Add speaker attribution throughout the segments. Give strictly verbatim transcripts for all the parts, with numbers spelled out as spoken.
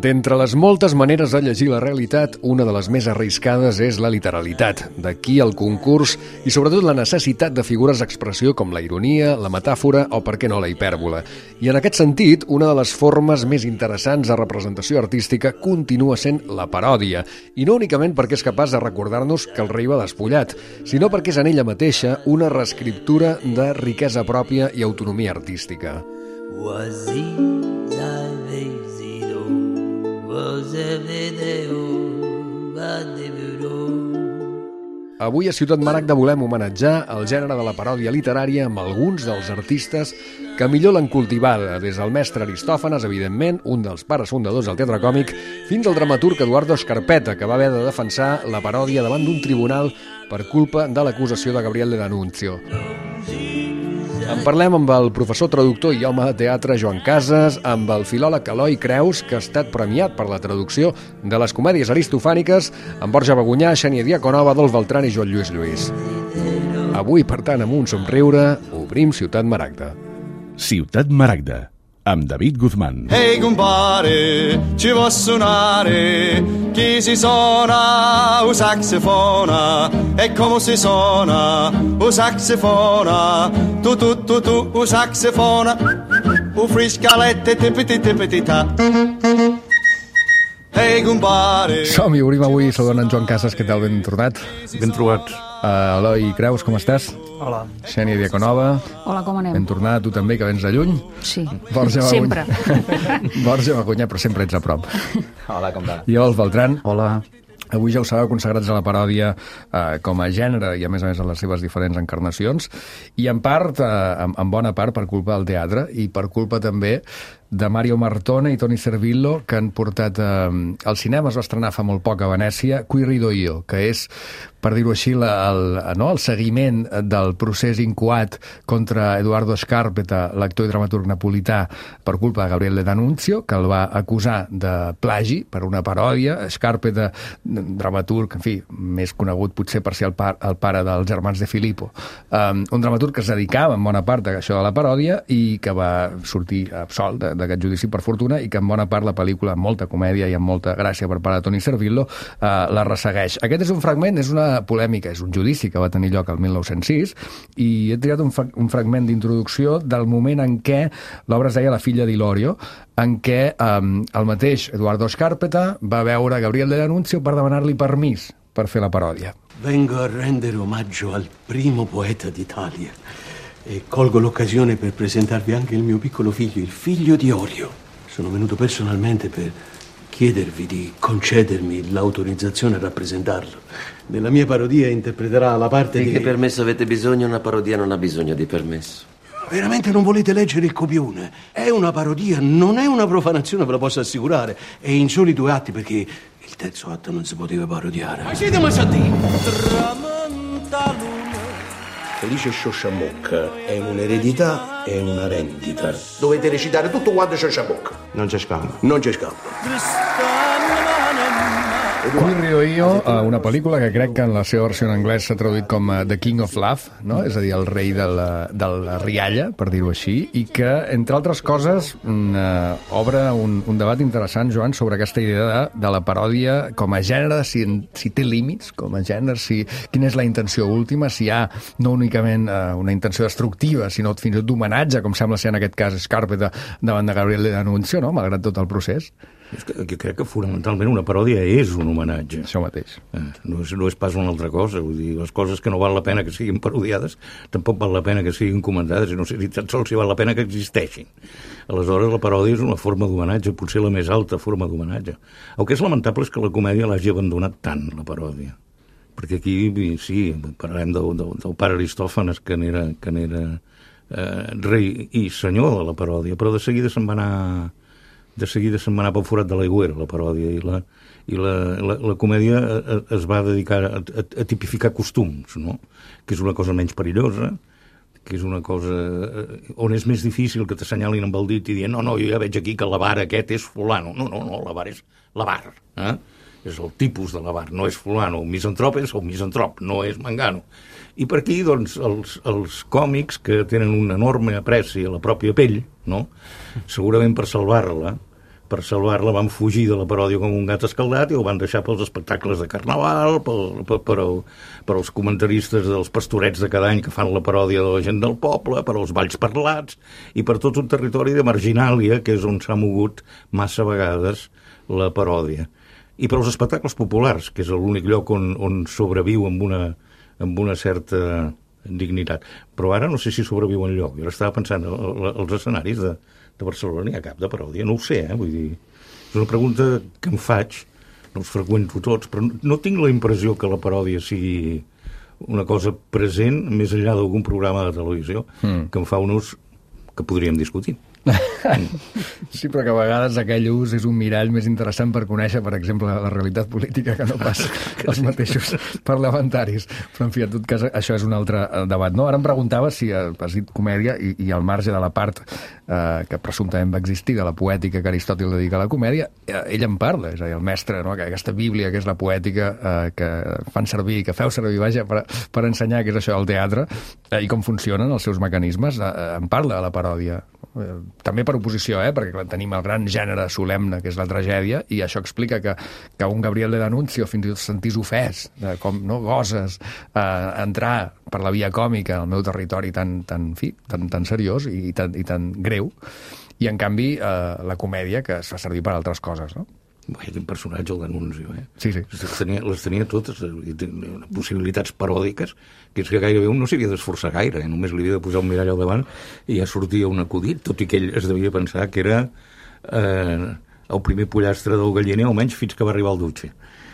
Speaker 1: D'entre les moltes maneres de llegir la realitat, una de les més arriscades és la literalitat. D'aquí el concurs i sobretot la necessitat de figures d'expressió com la ironia, la metàfora o, per què no, la hipèrbola. I en aquest sentit, una de les formes més interessants de representació artística continua sent la paròdia. I no únicament perquè és capaç de recordar-nos que el rei va despullat, sinó perquè és en ella mateixa una reescriptura de riquesa pròpia i autonomia artística. Avui a Ciutat Maragda volem homenatjar el gènere de la paròdia literària amb alguns dels artistes que millor l'han cultivada, des del mestre Aristòfanes, evidentment, un dels pares fundadors del teatre còmic, fins al dramaturg Eduardo Scarpetta, que va haver de defensar la paròdia davant d'un tribunal per culpa de l'acusació de Gabriel de D'Annunzio. En parlem amb el professor traductor i home de teatre Joan Casas, amb el filòleg Eloi Creus, que ha estat premiat per la traducció de les comèdies aristofàniques, amb Borja Bagunyà, Xènia Diaconova, Adolf Beltrán i Joan Lluís Lluís. Avui, per tant, amb un somriure, obrim Ciutat Maragda.
Speaker 2: Ciutat Maragda, amb David Guzmán.
Speaker 3: Ehi compare, ci vuoi suonare? Chi si suona un saxofona? E come si suona un saxofona? Tu, tu, tu, tu, un saxofona. Un friscalette, tipiti, tipiti, ta. Ehi compare.
Speaker 1: Som-hi, obrim avui saludant en Joan Casas. Què tal? Ben tornat.
Speaker 2: Ben trobats.
Speaker 1: Uh, Eloi Creus, com estàs?
Speaker 4: Hola.
Speaker 1: Xènia Diaconova.
Speaker 5: Hola, com anem?
Speaker 1: Ben tornat, tu també, que vens de lluny.
Speaker 5: Sí,
Speaker 1: Borja
Speaker 5: sempre.
Speaker 1: Borja Bagunyà, però sempre ets a prop.
Speaker 4: Hola, com va?
Speaker 1: I Adolf Beltrán.
Speaker 4: Hola.
Speaker 1: Avui ja ho sabeu, consagrats a la paròdia eh, com a gènere i a més a més a les seves diferents encarnacions i en part, eh, en, en bona part per culpa del teatre i per culpa també de Mario Martone i Toni Servillo, que han portat eh, al cinema. Es va estrenar fa molt poc a Venècia Qui rido io, que és, per dir-ho així, la, el, no, el seguiment del procés incoat contra Eduardo Scarpetta, l'actor i dramaturg napolità, per culpa de Gabriel de D'Annunzio, que el va acusar de plagi per una paròdia. Scarpetta, dramaturg, en fi, més conegut potser per ser el, par, el pare dels germans de Filippo, um, un dramaturg que es dedicava en bona part a això de la paròdia i que va sortir absolt de, d'aquest judici, per fortuna, i que en bona part la pel·lícula, amb molta comèdia i amb molta gràcia per part de Toni Servillo, eh, la ressegueix. Aquest és un fragment, és una polèmica, és un judici que va tenir lloc el mil nou-cents sis, i he triat un, fra un fragment d'introducció del moment en què l'obra es deia La filla d'Ilorio, en què eh, el mateix Eduardo Scarpetta va veure Gabriel de D'Annunzio per demanar-li permís per fer la paròdia.
Speaker 6: Vengo a rendere omaggio al primo poeta d'Italia e colgo l'occasione per presentarvi anche il mio piccolo figlio, il figlio di Orio. Sono venuto personalmente per chiedervi di concedermi l'autorizzazione a rappresentarlo. Nella mia parodia interpreterà la parte
Speaker 7: di...
Speaker 6: di...
Speaker 7: Che permesso avete bisogno? Una parodia non ha bisogno di permesso.
Speaker 6: Veramente non volete leggere il copione? È una parodia, non è una profanazione, ve lo posso assicurare. È in soli due atti, perché il terzo atto non si poteva parodiare. Ma siete massati! Tramanta luna. Felice Sciosciamocca è un'eredità e una rendita. Dovete recitare tutto quanto Sciosciamocca. Non c'è scampo. Non c'è scampo.
Speaker 1: Qui rido io, una pel·lícula que crec que en la seva versió en anglès s'ha traduït com The King of Laugh, no? És a dir, el rei de la, de la rialla, per dir-ho així, i que, entre altres coses, uh, obre un, un debat interessant, Joan, sobre aquesta idea de, de la paròdia com a gènere, si, si té límits com a gènere, si, quina és la intenció última, si hi ha no únicament uh, una intenció destructiva, sinó fins i tot d'homenatge, com sembla ser en aquest cas Scarpetta davant de Gabriel de D'Annunzio, no? Malgrat tot el procés.
Speaker 8: És que, jo crec que fonamentalment una paròdia és un homenatge.
Speaker 1: Això mateix.
Speaker 8: Eh, no, és, no és pas una altra cosa. Vull dir, les coses que no val la pena que siguin parodiades tampoc val la pena que siguin comentades, i no sé si tan sols si val la pena que existeixin. Aleshores, la paròdia és una forma d'homenatge, potser la més alta forma d'homenatge. El que és lamentable és que la comèdia l'hagi abandonat tant, la paròdia. Perquè aquí, sí, parlarem del, del, del pare Aristòfanes, que n'era que n'era eh, rei i senyor de la paròdia, però de seguida se'n va anar... de seguida se'n va anar pel forat de l'aigüera, la paròdia, i la, i la, la, la comèdia es va dedicar a, a, a tipificar costums, no? Que és una cosa menys perillosa, que és una cosa on és més difícil que t'assenyalin amb el dit i dient no, no, jo ja veig aquí que l'avar aquest és fulano. No, no, no, l'avar és l'avar, eh? És el tipus de l'avar, no és fulano. El misantrop és el misantrop, no és mangano. I per aquí, doncs, els, els còmics, que tenen un enorme apreci a la pròpia pell, no? Segurament per salvar-la, per salvar-la van fugir de la paròdia com un gat escaldat i el van deixar pels espectacles de carnaval, pel, per, per, el, per als comentaristes dels pastorets de cada any que fan la paròdia de la gent del poble, per als balls parlats i per tot un territori de marginàlia que és on s'ha mogut massa vegades la paròdia. I per als espectacles populars, que és l'únic lloc on, on sobreviu amb una, amb una certa dignitat. Però ara no sé si sobreviu enlloc. Jo estava pensant, els escenaris de, de Barcelona n'hi ha cap de paròdia? No ho sé, eh? Vull dir, és una pregunta que em faig, no els freqüento tots, però no tinc la impressió que la paròdia sigui una cosa present més enllà d'algun programa de televisió mm. que em fa un ús que podríem discutir.
Speaker 1: Sí, però que a vegades aquell ús és un mirall més interessant per conèixer, per exemple, la realitat política que no pas els mateixos parlamentaris. Però, en fi, en tot cas, això és un altre debat. No? Ara em preguntava si has dit comèdia i, i al marge de la part eh, que presumptament va existir, de la poètica que Aristòtil dedica a la comèdia, eh, ell en parla, és a dir, el mestre, no? Aquesta bíblia que és la poètica eh, que fan servir, que feu servir, vaja, per, per ensenyar què és això del teatre eh, i com funcionen els seus mecanismes, eh, en parla a la paròdia. Eh, també per oposició, eh? Perquè clar, tenim el gran gènere solemne, que és la tragèdia, i això explica que, que un Gabriel de D'Annunzio fins i tot sentís ofès, de com no goses eh, entrar per la via còmica al meu territori tan, tan, fi, tan, tan seriós i tan, i tan greu, i en canvi eh, la comèdia que es fa servir per altres coses, no?
Speaker 8: Bé, quin personatge, el D'Annunzio, eh?
Speaker 1: Sí, sí.
Speaker 8: Les tenia, les tenia totes, i tenia possibilitats paròdiques, que és que gairebé un no s'havia d'esforçar gaire, eh? Només li havia de posar un mirall al davant i ja sortia un acudit, tot i que ell es devia pensar que era eh, el primer pollastre del galliner, almenys fins que va arribar al Duce.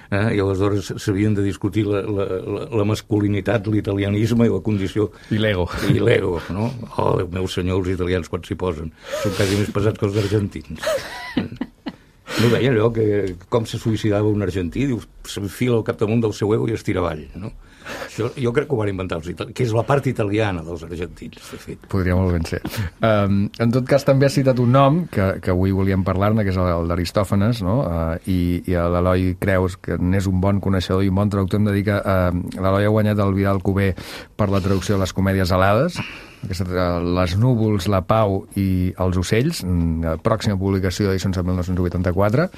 Speaker 8: Eh? I aleshores s'havien de discutir la, la, la, la masculinitat, l'italianisme i la condició...
Speaker 1: I l'ego.
Speaker 8: I l'ego, no? Oh, Déu meu senyor, els italians quan s'hi posen. Són quasi més pesats que els argentins. No deia allò que com se suïcidava un argentí, diu, s'enfila al capdamunt del seu ego i es tira avall, no? Això, jo crec que ho van inventar els italians, que és la part italiana dels argentins, de fet.
Speaker 1: Podria molt ben ser. Um, en tot cas, també has citat un nom que, que avui volíem parlar-ne, que és el, el d'Aristòfanes, no? Uh, i, i l'Eloi Creus, que n'és un bon coneixedor i un bon traductor, em dedica a... Uh, L'Eloi ha guanyat el Vidal Cuber per la traducció de les comèdies alades, aquesta, Les núvols, la pau i els ocells, pròxima publicació d'edicions de mil nou-cents vuitanta-quatre.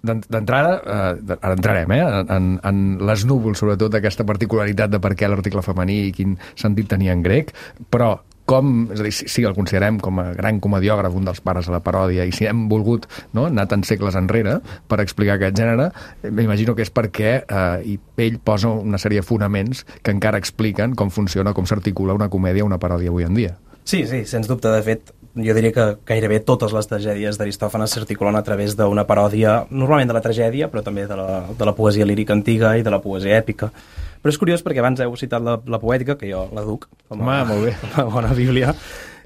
Speaker 1: D'entrada, eh, ara entrarem, eh, en, en les núvols, sobretot aquesta particularitat de per què l'article femení i quin sentit tenia en grec, però com, és a dir, si, si el considerem com a gran comediògraf, un dels pares de la paròdia, i si hem volgut, no, anar tants segles enrere per explicar aquest gènere, m'imagino que és perquè eh, ell posa una sèrie de fonaments que encara expliquen com funciona, com s'articula una comèdia o una paròdia avui en dia.
Speaker 4: Sí, sí, sens dubte. De fet, jo diria que gairebé totes les tragèdies d'Aristòfanes s'articulen a través d'una paròdia, normalment de la tragèdia, però també de la, de la poesia lírica antiga i de la poesia èpica. Però és curiós perquè abans heu citat la, la poètica, que jo la duc com a,
Speaker 1: Home, molt bé.
Speaker 4: Com a bona bíblia.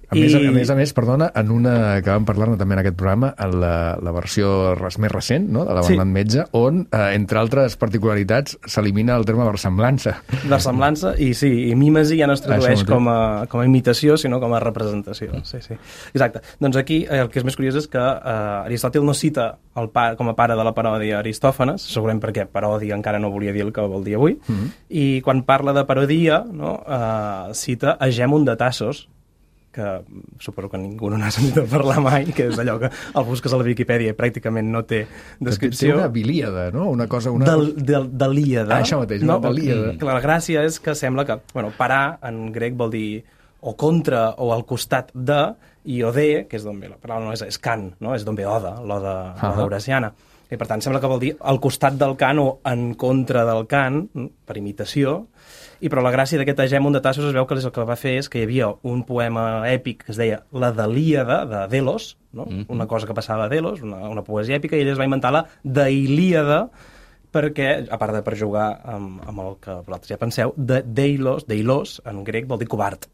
Speaker 1: A, I... més, a més a més, perdona, en una que vam parlar-ne també en aquest programa, en la, la versió res, més recent, no?, de la Bernat sí. Metge, on, eh, entre altres particularitats, s'elimina el terme versemblança.
Speaker 4: Versemblança, i sí, i mímesi ja no es tradueix com a, com a imitació, sinó com a representació. Sí, sí. Exacte. Doncs aquí el que és més curiós és que eh, Aristòtil no cita el pa, com a pare de la paròdia Aristòfanes, segurament perquè paròdia encara no volia dir el que vol dir avui, mm-hmm. i quan parla de parodia, no, eh, cita Agèmon de Tassos, que suposo que ningú no n'ha sentit parlar mai, que és allò que el busques a la Viquipèdia i pràcticament no té descripció.
Speaker 1: Té una bilíada, no? Una cosa... Una...
Speaker 4: Del, del, delíada.
Speaker 1: Ah, això mateix,
Speaker 4: no?
Speaker 1: una delíada.
Speaker 4: La gràcia és que sembla que, bueno, parar en grec vol dir o contra o al costat de, i ode, que és d'on ve la paraula, no és, és cant, no? És d'on ve oda, l'oda uh -huh. horaciana. I per tant sembla que vol dir al costat del cant o en contra del cant, per imitació. I però la gràcia d'aquest Agèmon de Tassos es veu que el que va fer és que hi havia un poema èpic que es deia La Delíada, de Delos, no? Mm-hmm. Una cosa que passava a Delos, una, una poesia èpica, i ell es va inventar la Deilíada perquè, a part de per jugar amb, amb el que vosaltres ja penseu, de Deilos, Deilos, en grec vol dir covard.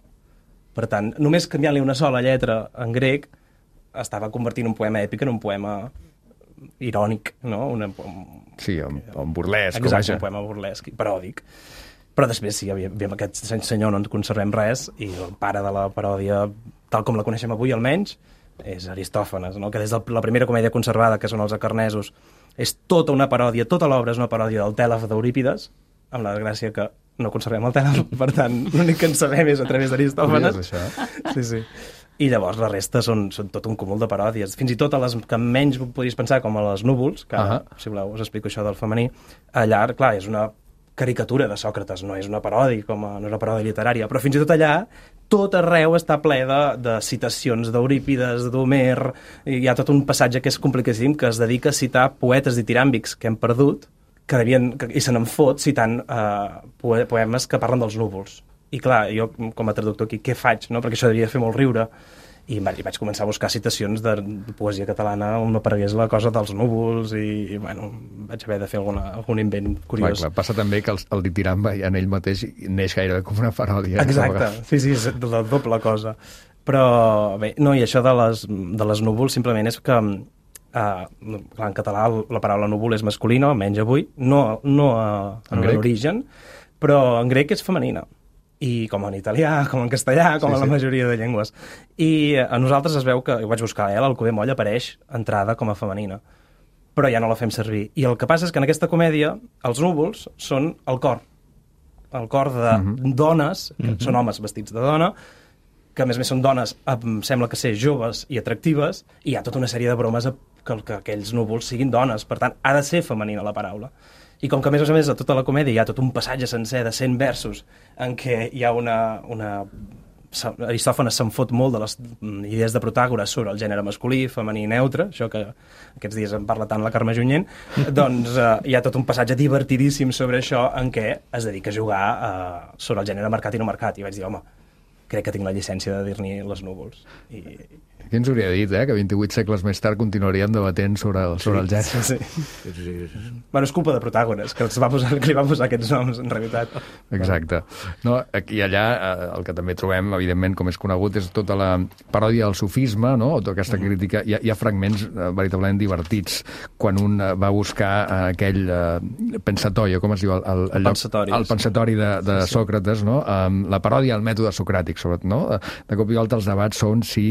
Speaker 4: Per tant, només canviant-li una sola lletra en grec estava convertint un poema èpic en un poema irònic, no? Una, un,
Speaker 1: sí, un, un burlesc.
Speaker 4: Exacte, un poema burlesc, paròdic. Però després sí, amb aquest senyor no ens conservem res, i el pare de la paròdia, tal com la coneixem avui almenys, és Aristòfanes, no? Que des de la primera comèdia conservada, que són els Acarnesos, és tota una paròdia, tota l'obra és una paròdia del Tèlef d'Eurípides, amb la gràcia que no conservem el Tèlef, per tant, l'únic que en sabem és a través d'Aristòfanes.
Speaker 1: Sí,
Speaker 4: sí. I llavors la resta són, són tot un cúmul de paròdies. Fins i tot a les que menys podries pensar, com a les núvols, que ara, uh-huh. si voleu, us explico això del femení, allà, clar, és una caricatura de Sòcrates, no és una paròdia, com a, no és una paròdia literària, però fins i tot allà tot arreu està ple de, de citacions d'Eurípides, d'Homer, i hi ha tot un passatge que és complicadíssim, que es dedica a citar poetes ditiràmbics que hem perdut, que devien, que, i se n'en fot citant eh, poemes que parlen dels núvols. I clar, jo com a traductor aquí, què faig? No? Perquè això devia fer molt riure. I vaig, vaig començar a buscar citacions de poesia catalana on m'aparegués la cosa dels núvols i, i bueno, vaig haver de fer alguna, algun invent curiós.
Speaker 1: Clar, clar. Passa també que el, el ditiramba ja en ell mateix neix gairebé com una paròdia.
Speaker 4: Exacte, sí, sí, és la doble cosa. Però bé, no, i això de les, de les núvols simplement és que uh, clar, en català la paraula núvol és masculina, almenys avui, no, no uh, en l'origen, però en grec és femenina. I com en italià, com en castellà, com sí, en la majoria de llengües. I a nosaltres es veu que, ho vaig buscar, eh, l'Alcover Moll apareix entrada com a femenina, però ja no la fem servir. I el que passa és que en aquesta comèdia els núvols són el cor, el cor de uh-huh. dones, que uh-huh. són homes vestits de dona, que a més a més són dones, em sembla que ser joves i atractives, i hi ha tota una sèrie de bromes que, que aquells núvols siguin dones. Per tant, ha de ser femenina la paraula. I com que, a més a més, a tota la comèdia hi ha tot un passatge sencer de cent versos en què hi ha una... una... Aristòfanes se'n fot molt de les idees de Protàgores sobre el gènere masculí, femení i neutre, això que aquests dies en parla tant la Carme Junyent, doncs eh, hi ha tot un passatge divertidíssim sobre això en què es dedica a jugar eh, sobre el gènere marcat i no marcat. I vaig dir, home, crec que tinc la llicència de dir-n'hi les núvols. I...
Speaker 1: Qui ens hauria dit, eh, que vint-i-vuit segles més tard continuaríem debatent sobre el, sobre el gènere.
Speaker 4: Sí, sí. sí, sí. Bueno, és culpa de Protàgores, que, va posar, que li va posar aquests noms, en realitat.
Speaker 1: Exacte. No, aquí i allà, el que també trobem, evidentment, com és conegut, és tota la paròdia del sofisme, no? O tota aquesta crítica. Hi ha, hi ha fragments eh, veritablement divertits. Quan un eh, va buscar eh, aquell eh, pensatorio, com es diu? El, el, el,
Speaker 4: pensatori.
Speaker 1: El pensatori de, de sí, sí. Sòcrates, no? Um, la paròdia al mètode socràtic, sobretot, no? De cop i volta els debats són si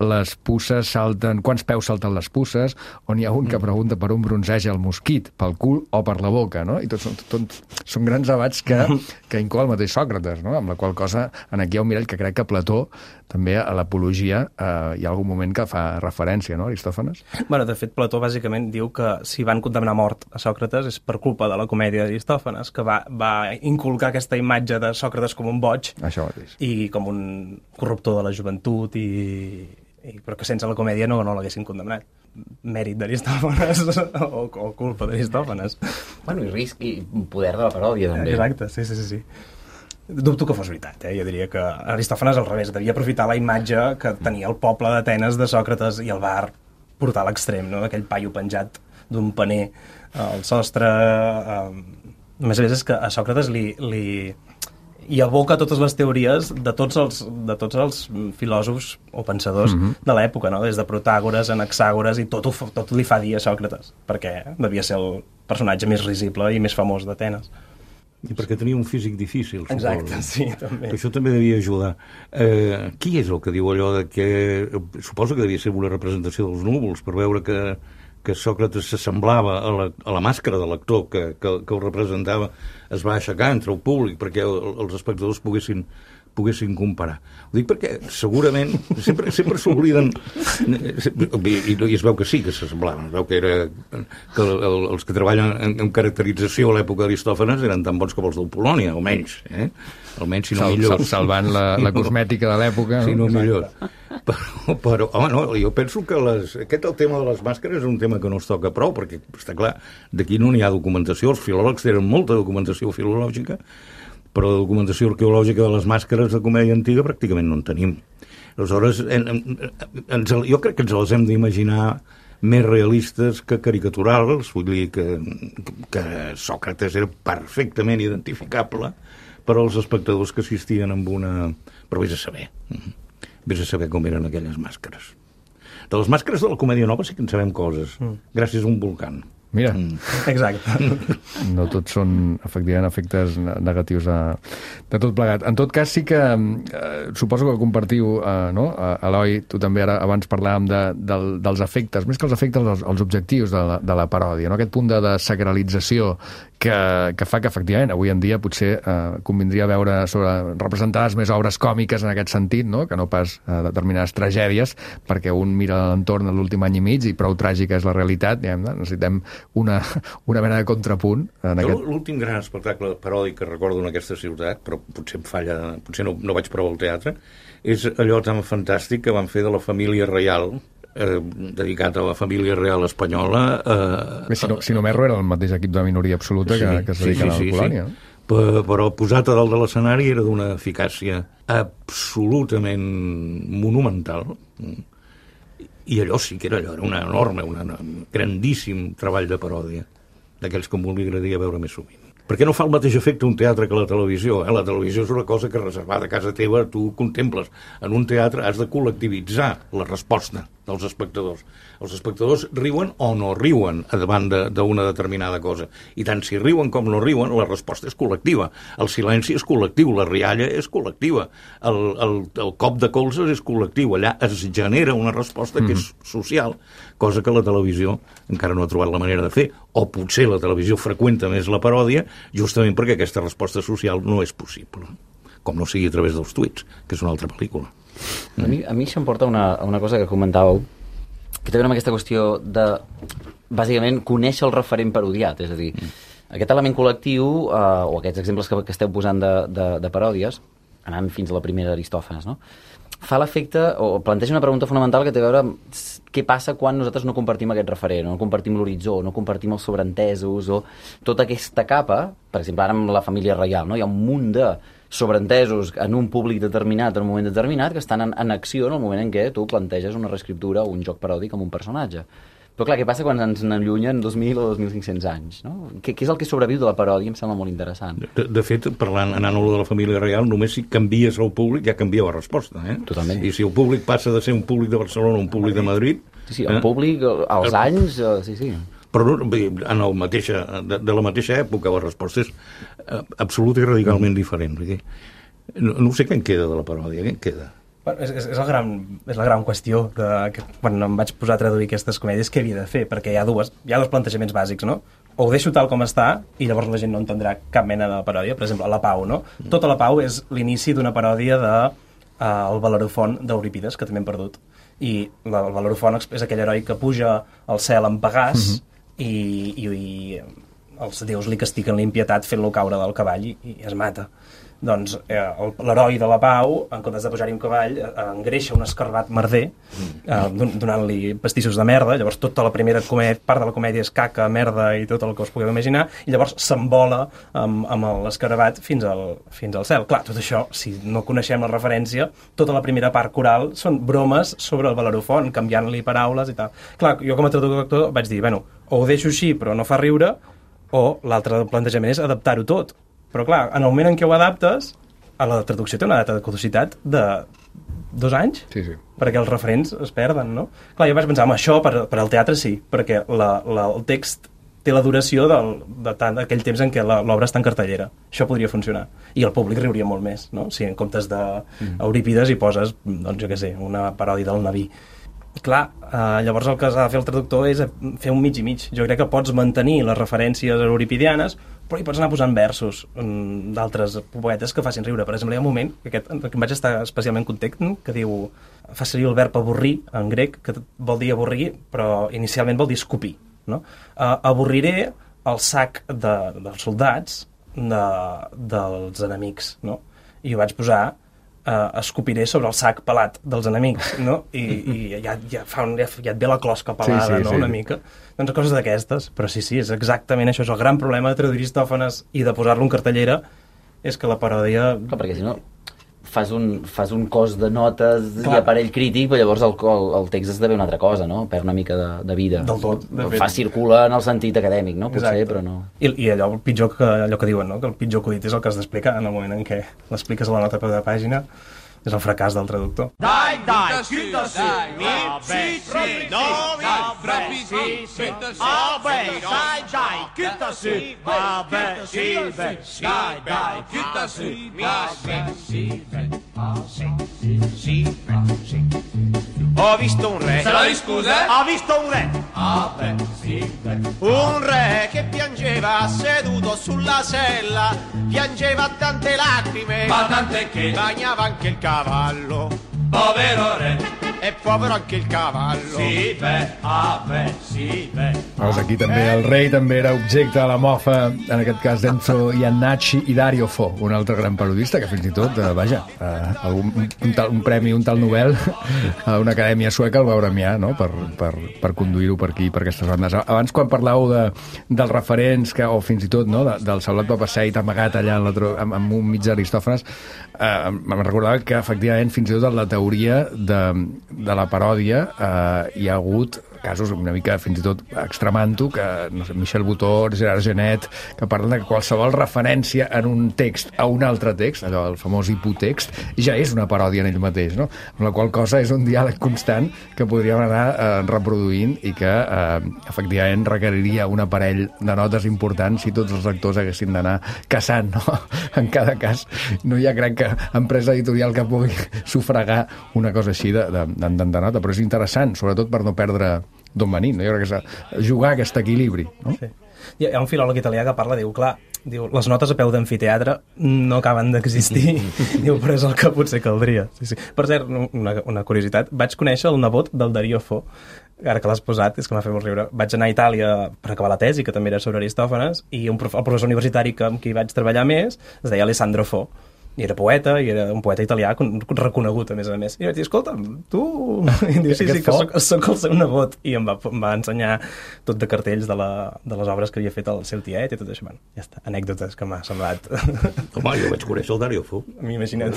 Speaker 1: les puces salten... Quants peus salten les puces? On hi ha un que pregunta per un bronzeja el mosquit, pel cul o per la boca, no? I tots són, tot, són grans debats que, que inclou el mateix Sòcrates, no? Amb la qual cosa, en aquí hi ha un mirall que crec que Plató, també a l'apologia, eh, hi ha algun moment que fa referència, no, Aristòfanes?
Speaker 4: Bueno, de fet, Plató bàsicament diu que si van condemnar a mort a Sòcrates és per culpa de la comèdia d'Aristòfanes, que va, va inculcar aquesta imatge de Sòcrates com un boig.
Speaker 1: Això mateix.
Speaker 4: I com un corruptor de la joventut i... I, però que sense la comèdia no, no l'haguessin condemnat. Mèrit d'Aristòfanes o, o culpa d'Aristòfanes.
Speaker 5: Bueno, i risc i poder de la paròdia, també.
Speaker 4: Exacte, sí, sí, sí. sí. Dubto que fos veritat, eh? Jo diria que Aristòfanes al revés, devia aprofitar la imatge que tenia el poble d'Atenes de Sòcrates i el va portar a l'extrem, no? Aquell paio penjat d'un paner al sostre. Eh, a més a més és que a Sòcrates li... li i aboca totes les teories de tots els, de tots els filòsofs o pensadors uh-huh. de l'època, no? Des de Protàgores, Anaxàgores, i tot, ho, tot li fa dir a Sòcrates, perquè devia ser el personatge més risible i més famós d'Atenes.
Speaker 8: I perquè tenia un físic difícil, suposo.
Speaker 4: Exacte, sí, també.
Speaker 8: Que això també devia ajudar. Eh, qui és el que diu allò de que... Suposo que devia ser una representació dels núvols, per veure que, que Sòcrates s'assemblava a, la, a la màscara de l'actor que, que, que el representava, es va aixecar entre el públic perquè els espectadors poguessin, poguessin comparar. Ho dic perquè segurament sempre, sempre s'obliden i, i es veu que sí que s'assemblaven, es veu que, era, que el, els que treballen en, en caracterització a l'època d'Aristòfanes eren tan bons com els del Polònia, almenys, eh? Almenys, si no
Speaker 1: Sal,
Speaker 8: millors.
Speaker 1: Salvant la, la cosmètica de l'època.
Speaker 8: Si no, no millor. Però, però home, no, jo penso que les, aquest el tema de les màscares és un tema que no es toca prou, perquè està clar, d'aquí no n'hi ha documentació, els filòlegs tenen molta documentació filològica, però la documentació arqueològica de les màscares de comèdia antiga pràcticament no en tenim. Aleshores, en, en, en, jo crec que ens les hem d'imaginar més realistes que caricaturals, vull dir que, que Sòcrates era perfectament identificable per als espectadors que assistien amb una... Però vés a saber. Vés a saber com eren aquelles màscares. De les màscares de la Comèdia Nova sí que en sabem coses, mm. gràcies a un volcán.
Speaker 1: Mira.
Speaker 4: Mm. Exacte.
Speaker 1: No tots són, efectivament, efectes negatius de, de tot plegat. En tot cas, sí que eh, suposo que compartiu, eh, no? Eloi, tu també ara abans parlàvem de, de, dels efectes, més que els efectes, els, els objectius de la, de la paròdia, no? Aquest punt de, de sacralització que, que fa que, efectivament, avui en dia potser eh, convindria veure sobre representades més obres còmiques en aquest sentit, no? Que no pas eh, determinades tragèdies, perquè un mira l'entorn de l'últim any i mig i prou tràgica és la realitat, diguem, necessitem una, una mena de contrapunt. En aquest...
Speaker 8: L'últim gran espectacle paròdic que recordo en aquesta ciutat, però potser em falla, potser no, no vaig prou al teatre, és allò tan fantàstic que van fer de la família reial, eh, dedicat a la família real espanyola. Eh, si,
Speaker 1: no, si no m'erro, era el mateix equip de minoria absoluta sí, que, que es dedica sí, sí, a la colònia. Sí, sí.
Speaker 8: Però, però posat a dalt de l'escenari era d'una eficàcia absolutament monumental. I allò sí que era allò, era una enorme, una, un grandíssim treball de paròdia, d'aquells que m'obligaria a veure més sovint. Perquè no fa el mateix efecte un teatre que la televisió. Eh? La televisió és una cosa que reservada a casa teva tu contemples. En un teatre has de col·lectivitzar la resposta dels espectadors. Els espectadors riuen o no riuen davant d'una determinada cosa. I tant si riuen com no riuen, la resposta és col·lectiva. El silenci és col·lectiu, la rialla és col·lectiva, el, el, el cop de colzes és col·lectiu. Allà es genera una resposta que és social, cosa que la televisió encara no ha trobat la manera de fer, o potser la televisió freqüenta més la paròdia, justament perquè aquesta resposta social no és possible, com no sigui a través dels tuits, que és una altra pel·lícula.
Speaker 5: A mi, a mi això em porta una, una cosa que comentàveu, que té a veure amb aquesta qüestió de, bàsicament, conèixer el referent parodiat, és a dir, mm. aquest element col·lectiu, eh, o aquests exemples que, que esteu posant de, de, de paròdies, anant fins a la primera Aristòfanes, no?, fa l'efecte, o planteja una pregunta fonamental que té a veure amb què passa quan nosaltres no compartim aquest referent, no compartim l'horitzó, no compartim els sobreentesos, o tota aquesta capa, per exemple, ara amb la família reial, no? Hi ha un munt de sobreentesos en un públic determinat, en un moment determinat, que estan en, en acció en el moment en què tu planteges una reescriptura o un joc paròdic amb un personatge. Però clar, què passa quan ens n'allunyen dos mil o dos mil cinc-cents anys? No? Què, què és el que sobreviu de la paròdia? Em sembla molt interessant.
Speaker 8: De, de fet, parlant, anant a lo de la família real, només si canvies el públic ja canvia la resposta. Eh?
Speaker 5: Totalment.
Speaker 8: I si el públic passa de ser un públic de Barcelona a un públic de Madrid...
Speaker 5: Sí, sí, el eh? públic, als el... anys... Eh, sí, sí.
Speaker 8: Però en el mateixa, de, de la mateixa època la resposta és eh, absoluta i radicalment mm. diferent. Perquè no, no sé què en queda de la paròdia, què en queda?
Speaker 4: Bueno, és, és, és, la gran, és la gran qüestió de, que quan em vaig posar a traduir aquestes comèdies, què havia de fer? Perquè hi ha, dues, hi ha dos plantejaments bàsics, no? O ho deixo tal com està i llavors la gent no entendrà cap mena de paròdia. Per exemple, La Pau, no? Mm. Tota La Pau és l'inici d'una paròdia de uh, el Bellerofont d'Eurípides, que també hem perdut. I la, el Bellerofont és aquell heroi que puja al cel amb Pegàs mm-hmm. i, i, i els déus li castiguen l'impietat fent-lo caure del cavall i, i es mata. Doncs eh, l'heroi de La Pau, en comptes de pujar-hi un cavall, eh, engreixa un escarbat merder, eh, donant-li pastissos de merda. Llavors tota la primera comèdia, part de la comèdia és caca, merda i tot el que us pugueu imaginar, i llavors s'embola amb, amb l'escarabat fins al, fins al cel. Clar, tot això, si no coneixem la referència, tota la primera part coral són bromes sobre el Bellerofont, canviant-li paraules i tal. Clar, jo com a traductor vaig dir, bueno, o ho deixo així però no fa riure, o l'altre plantejament és adaptar-ho tot. Però clar, en el moment en què ho adaptes, a la traducció té una data de caducitat de dos anys,
Speaker 1: sí, sí.
Speaker 4: perquè els referents es perden, no? Clar, jo vaig pensar, home, això per, per al teatre sí, perquè la, la, el text té la duració del, de tant d'aquell temps en què l'obra està en cartellera. Això podria funcionar. I el públic riuria molt més, no? Si en comptes d'Eurípides hi poses, doncs jo què sé, una paròdia del Naví. Clar, eh, llavors el que s'ha de fer el traductor és fer un mig i mig. Jo crec que pots mantenir les referències euripidianes, però hi pots anar posant versos um, d'altres poetes que facin riure. Per exemple, hi ha un moment que, aquest, que em vaig estar especialment content, que diu, fa servir el verb avorrir en grec, que vol dir avorrir, però inicialment vol dir escopir. No? Uh, avorriré el sac de, dels soldats de, dels enemics. No? I ho vaig posar Uh, escopiré sobre el sac pelat dels enemics, no? I, i ja, ja, fa un, ja, ja et ve la closca pelada, sí, sí, no? Sí. Una mica. Doncs coses d'aquestes. Però sí, sí, és exactament això. És el gran problema de traduir Aristòfanes i de posar-lo en cartellera, és que la paròdia...
Speaker 5: Clar, perquè si no fas un, fas un cos de notes Clar. I aparell crític, però llavors el, el, el text esdevé una altra cosa, no? Perd una mica de, de vida.
Speaker 4: Del tot. De
Speaker 5: fa circula en el sentit acadèmic, no? Potser, Exacte. Però no...
Speaker 4: I, I allò, el pitjor que, allò que diuen, no? Que el pitjor acudit és el que has d'explicar en el moment en què l'expliques a la nota a peu de pàgina. és el fracàs del traductor.
Speaker 9: Dai, dai, chiuda sì, mi, sì, sì, no, mi, sì, sì, vabbè, dai, dai, chiuda sì, vabbè, sì, dai, dai, chiuda sì, vabbè, sì, sì, sì. Ho visto un re. Se la scusa? Ho visto un re. Ah, beh, sì, beh. Un re che piangeva seduto sulla sella, piangeva tante lacrime, ma tante che bagnava anche il cavallo. Povero re. E povero anche il cavallo. Sí, beh, ah, beh, sí, beh.
Speaker 1: Veus, aquí també el rei també era objecte de la mofa, en aquest cas d'Enzo Iannacci i Dario Fo, un altre gran parodista que fins i tot, eh, vaja, eh, algun, un, tal, un premi, un tal Nobel a una acadèmia sueca el va premiar, no?, per, per, per conduir-ho per aquí, per aquestes bandes. Abans, quan parlàveu de, dels referents, que, o fins i tot, no?, de, del Saulat Papasseit amagat allà en la, amb, amb un mig d'Aristòfanes, eh, em recordava que, efectivament, fins i tot en la teoria de de la paròdia eh, hi ha hagut casos una mica fins i tot extremant-ho, que no sé, Michel Butor, Gerard Genet, que parlen de que qualsevol referència en un text a un altre text, allò, el famós hipotext, ja és una paròdia en ell mateix, no? Amb la qual cosa és un diàleg constant que podríem anar eh, reproduint i que eh, efectivament requeriria un aparell de notes importants si tots els lectors haguessin d'anar caçant, no? En cada cas no hi ha crec que empresa editorial que pugui sufragar una cosa així de, de, de, de nota, però és interessant, sobretot per no perdre d'on venim, no? Jo crec que és jugar aquest equilibri, no?
Speaker 4: Sí. Hi ha un filòleg italià que parla, diu, clar, diu, les notes a peu d'amfiteatre no acaben d'existir, diu, però és el que potser caldria. Sí, sí. Per cert, una, una curiositat, vaig conèixer el nebot del Dario Fo, ara que l'has posat, és que m'ha fet molt riure. Vaig anar a Itàlia per acabar la tesi, que també era sobre Aristòfanes, i un prof, el professor universitari que, amb qui vaig treballar més es deia Alessandro Fo. I era poeta, i era un poeta italià reconegut, a més a més. I vaig dir, escolta, tu... I diu, sí, sí, que soc, soc el seu nebot. I em va, em va ensenyar tot de cartells de, la, de les obres que havia fet el seu tiet i tot això. Bueno, ja està, anècdotes que m'ha semblat.
Speaker 8: Home, jo vaig conèixer el Dario Fo.
Speaker 4: M'imagina't.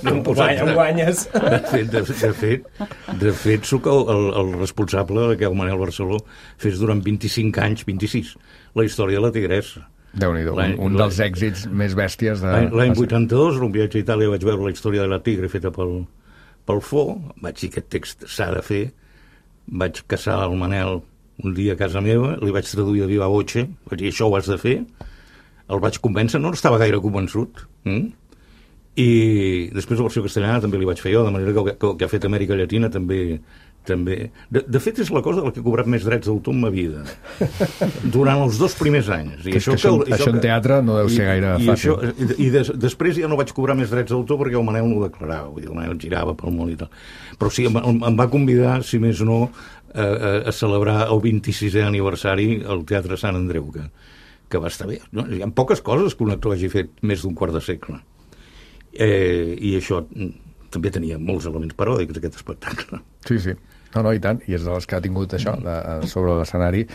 Speaker 4: Em guanyes.
Speaker 8: De fet, de, de fet, de fet soc el, el, el responsable que el Manel Barceló fes durant vint-i-cinc anys, vint-i-sis, la història de la Tigressa.
Speaker 1: Déu-n'hi-do, un, un dels èxits més bèsties de...
Speaker 8: L'any vuitanta-dos, en un viatge a Itàlia, vaig veure la història de la tigre feta pel, pel Fo, vaig dir que aquest text s'ha de fer, vaig caçar el Manel un dia a casa meva, li vaig traduir de viva voce, vaig dir, això ho has de fer, el vaig convèncer, no estava gaire convençut, hm? I després la versió castellana també li vaig fer jo, de manera que el que, que ha fet Amèrica Llatina també... també. De, de fet, és la cosa de la que he cobrat més drets d'autor en ma vida, durant els dos primers anys. I
Speaker 1: que això, que això, que, això en teatre no deu ser gaire
Speaker 8: i,
Speaker 1: fàcil.
Speaker 8: I, això, i des, després ja no vaig cobrar més drets d'autor perquè el Manel no ho declarava, vull dir, el Manel girava pel món i tal. Però sí, em, em va convidar, si més no, a, a, a celebrar el vint-i-sisè aniversari al Teatre Sant Andreu, que, que va estar bé. No? Hi ha poques coses que un actor hagi fet més d'un quart de segle. Eh, I això també tenia molts elements paròdics, aquest espectacle.
Speaker 1: Sí, sí. No, no, i tant, i és de les que ha tingut això de, sobre l'escenari,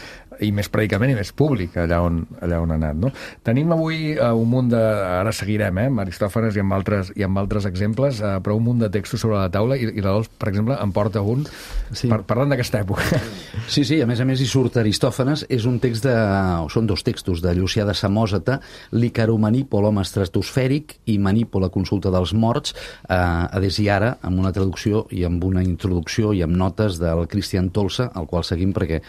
Speaker 1: i més predicament i més públic allà on, allà on ha anat, no? Tenim avui uh, un munt de... Ara seguirem, eh, amb Aristòfanes i amb altres, i amb altres exemples, uh, però un munt de textos sobre la taula, i, i la Dols, per exemple, en porta un, sí. par parlant d'aquesta època.
Speaker 10: Sí, sí, a més a més hi surt Aristòfanes, és un text de... o són dos textos de Llucià de Samòsata, l'Icaromanípol, home estratosfèric, i Manípol, la consulta dels morts, eh, a des i ara, amb una traducció i amb una introducció i amb notes del Cristian Tolsa, al qual seguim perquè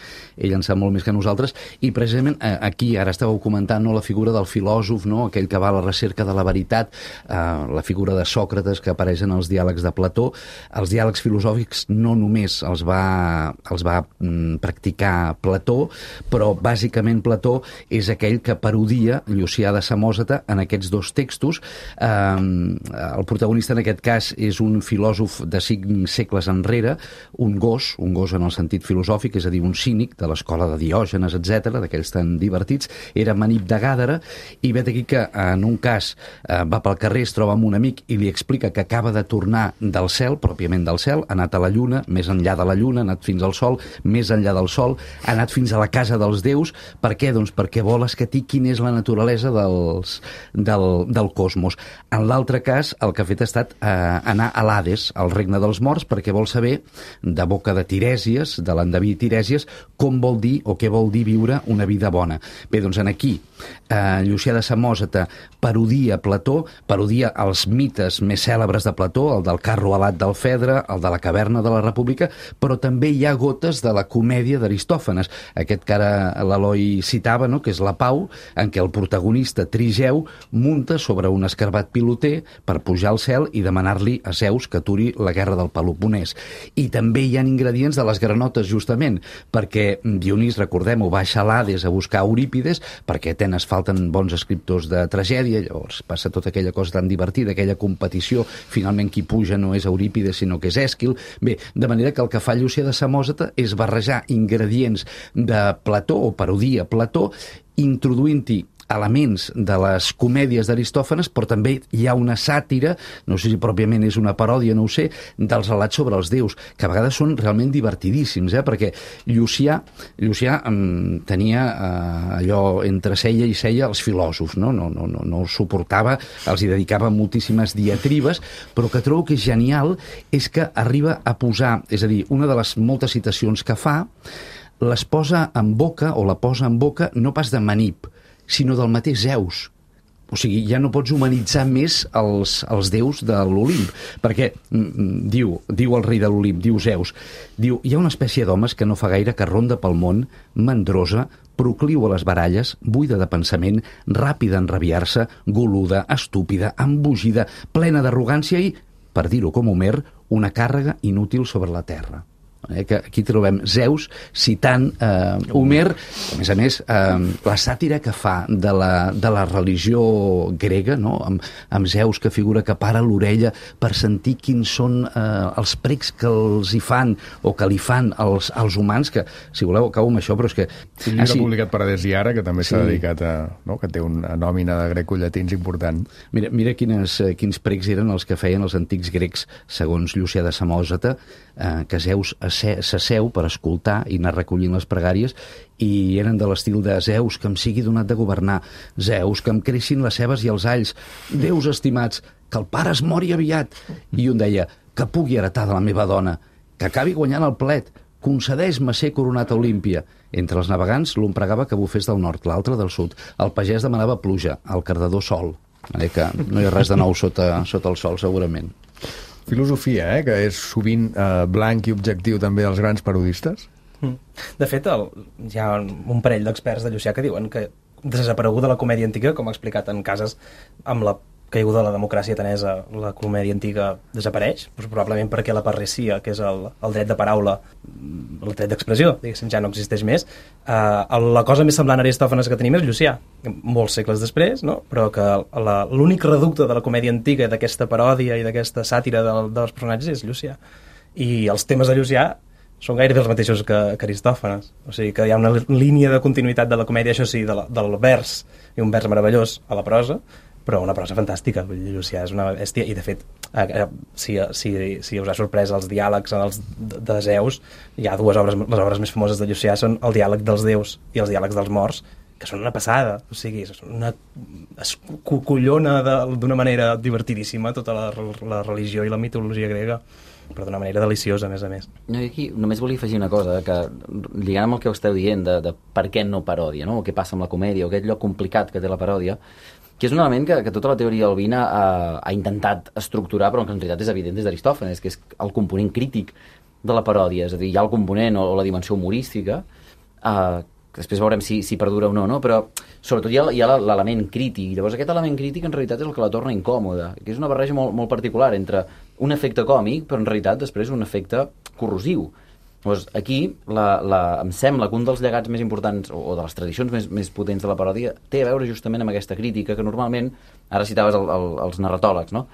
Speaker 10: ell en sap molt més que nosaltres, i precisament eh, aquí ara estàveu comentant, no, la figura del filòsof, no, aquell que va a la recerca de la veritat, eh, la figura de Sòcrates que apareix en els diàlegs de Plató. Els diàlegs filosòfics no només els va, els va mm, practicar Plató, però bàsicament Plató és aquell que parodia Llucià de Samòsata en aquests dos textos. Eh, el protagonista en aquest cas és un filòsof de cinc segles enrere, un gos, un gos en el sentit filosòfic, és a dir, un cínic de l'escola de Diògenes, etcètera, d'aquells tan divertits, era Manip de Gàdara, i vet aquí que en un cas eh, va pel carrer, es troba amb un amic i li explica que acaba de tornar del cel, pròpiament del cel, ha anat a la lluna, més enllà de la lluna, ha anat fins al sol, més enllà del sol, ha anat fins a la casa dels déus. Per què? Doncs perquè vol escatir quina és la naturalesa dels, del, del cosmos. En l'altre cas, el que ha fet ha estat eh, anar a l'Hades, al regne dels morts, perquè vol saber, de boca de Tirèsies, de l'endeví Tirèsies, com vol dir o què vol vol dir viure una vida bona. Bé, doncs en aquí, eh, Llucià de Samòsata parodia Plató, parodia els mites més cèlebres de Plató, el del carro alat del Fedre, el de la caverna de la República, però també hi ha gotes de la comèdia d'Aristòfanes, aquest que ara l'Eloi citava, no?, que és la Pau, en què el protagonista Trigeu munta sobre un escarbat piloter per pujar al cel i demanar-li a Zeus que aturi la guerra del Peloponès. I també hi ha ingredients de les granotes, justament, perquè Dionís, recordem-ho, baixa a l'Hades a buscar Eurípides, perquè a Atenes falten bons escriptors de tragèdia, llavors passa tota aquella cosa tan divertida, aquella competició, finalment qui puja no és Eurípides sinó que és Èsquil. Bé, de manera que el que fa Llucià de Samòsata és barrejar ingredients de Plató o parodia Plató, introduint-hi elements de les comèdies d'Aristòfanes, però també hi ha una sàtira, no sé si pròpiament és una paròdia, no ho sé, dels relats sobre els déus, que a vegades són realment divertidíssims, eh? Perquè Llucià, Llucià um, tenia uh, allò entre cella i cella els filòsofs, no? No, no, no, no els suportava, els hi dedicava moltíssimes diatribes, però que trobo que és genial és que arriba a posar, és a dir, una de les moltes citacions que fa, les posa en boca, o la posa en boca, no pas de Manip, sinó del mateix Zeus. O sigui, ja no pots humanitzar més els, els déus de l'Olimp, perquè mm, diu, diu el rei de l'Olimp, diu Zeus, diu, hi ha una espècie d'homes que no fa gaire que ronda pel món, mandrosa, procliu a les baralles, buida de pensament, ràpida en rabiar-se, goluda, estúpida, embogida, plena d'arrogància i, per dir-ho com Homer, una càrrega inútil sobre la terra. Eh, que aquí trobem Zeus citant eh, Homer, a més a més eh, la sàtira que fa de la, de la religió grega, no? amb, amb Zeus que figura que para l'orella per sentir quins són eh, els precs que els hi fan o que li fan als, als humans, que si voleu acabo amb això, però és que...
Speaker 1: Un llibre ah, sí. publicat per Adesiara, que també s'ha sí. dedicat a... No? que té una nòmina de grecollatins important.
Speaker 10: Mira, mira quines, eh, quins precs eren els que feien els antics grecs, segons Llucià de Samòsata, eh, que Zeus s'asseu per escoltar i anar recollint les pregàries, i eren de l'estil de Zeus, que em sigui donat de governar, Zeus, que em creixin les cebes i els alls, déus estimats, que el pare es mori aviat. I un deia, que pugui heretar de la meva dona, que acabi guanyant el plet, concedeix-me ser coronat a Olímpia. Entre els navegants, l'un pregava que bufés del nord, l'altre del sud. El pagès demanava pluja, el cardador sol. Eh, que no hi ha res de nou sota, sota el sol, segurament.
Speaker 1: Filosofia, eh, que és sovint eh, blanc i objectiu també dels grans parodistes.
Speaker 4: De fet, el, hi ha un parell d'experts de Llucià que diuen que desapareguda la comèdia antiga, com ha explicat en cases amb la caiguda de la democràcia atenesa, la comèdia antiga desapareix, doncs probablement perquè la parresia, que és el, el dret de paraula, el dret d'expressió, diguéssim, ja no existeix més. Uh, la cosa més semblant a Aristòfanes que tenim és Llucià, molts segles després, no? Però que l'únic reducte de la comèdia antiga, d'aquesta paròdia i d'aquesta sàtira de, dels personatges és Llucià. I els temes de Llucià són gairebé els mateixos que, que Aristòfanes. O sigui que hi ha una línia de continuïtat de la comèdia, això sí, de la, del vers, i un vers meravellós a la prosa, però una prosa fantàstica. Llucià és una bèstia, i de fet, eh, si, si, si us ha sorprès els diàlegs dels, de Zeus, hi ha dues obres, les obres més famoses de Llucià són el diàleg dels déus i els diàlegs dels morts, que són una passada, o sigui, una, es collona d'una manera divertidíssima tota la, la religió i la mitologia grega, però d'una manera deliciosa, a més a més.
Speaker 5: No, i aquí només volia afegir una cosa, que lligant amb el que esteu dient de, de per què no paròdia, no? O què passa amb la comèdia, o aquest lloc complicat que té la paròdia, que és un element que, que tota la teoria albina ha, ha intentat estructurar, però que en realitat és evident des d'Aristòfanes, que és el component crític de la paròdia, és a dir, hi ha el component o, o la dimensió humorística, eh, que després veurem si, si perdura o no, no? Però sobretot hi ha, hi ha l'element crític. Llavors aquest element crític en realitat és el que la torna incòmoda, que és una barreja molt, molt particular entre un efecte còmic, però en realitat després un efecte corrosiu. Llavors aquí la, la, em sembla que un dels llegats més importants o, o de les tradicions més, més potents de la paròdia té a veure justament amb aquesta crítica que normalment, ara citaves el, el, els narratòlegs, no?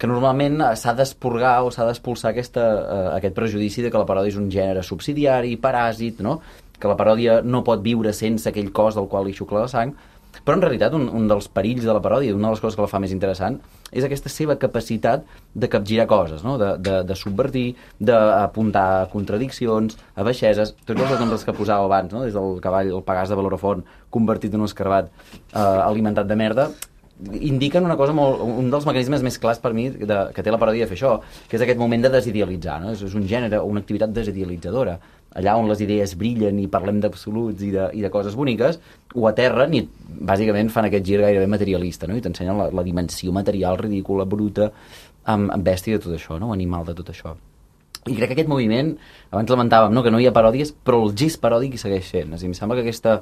Speaker 5: Que normalment s'ha d'esporgar o s'ha d'expulsar aquesta, eh, aquest prejudici de que la paròdia és un gènere subsidiari, paràsit, no? Que la paròdia no pot viure sense aquell cos del qual li xucla la sang, però en realitat un, un dels perills de la paròdia, una de les coses que la fa més interessant, és aquesta seva capacitat de capgirar coses, no? de, de, de subvertir, d'apuntar contradiccions, a baixeses, tots els exemples que posava abans, no? Des del cavall, el Pegàs de Belorofont, convertit en un escarbat eh, alimentat de merda, indiquen una cosa molt, un dels mecanismes més clars per mi de, que té la paròdia de fer això, que és aquest moment de desidealitzar, no? És, és un gènere, una activitat desidealitzadora. allà on les idees brillen i parlem d'absoluts i, de, i de coses boniques, ho aterren i bàsicament fan aquest gir gairebé materialista, no? I t'ensenyen la, la dimensió material ridícula, bruta, amb, amb bèstia de tot això, no? Animal de tot això. I crec que aquest moviment, abans lamentàvem, no? Que no hi ha paròdies, però el gest paròdic hi segueix sent. És a dir, em sembla que aquesta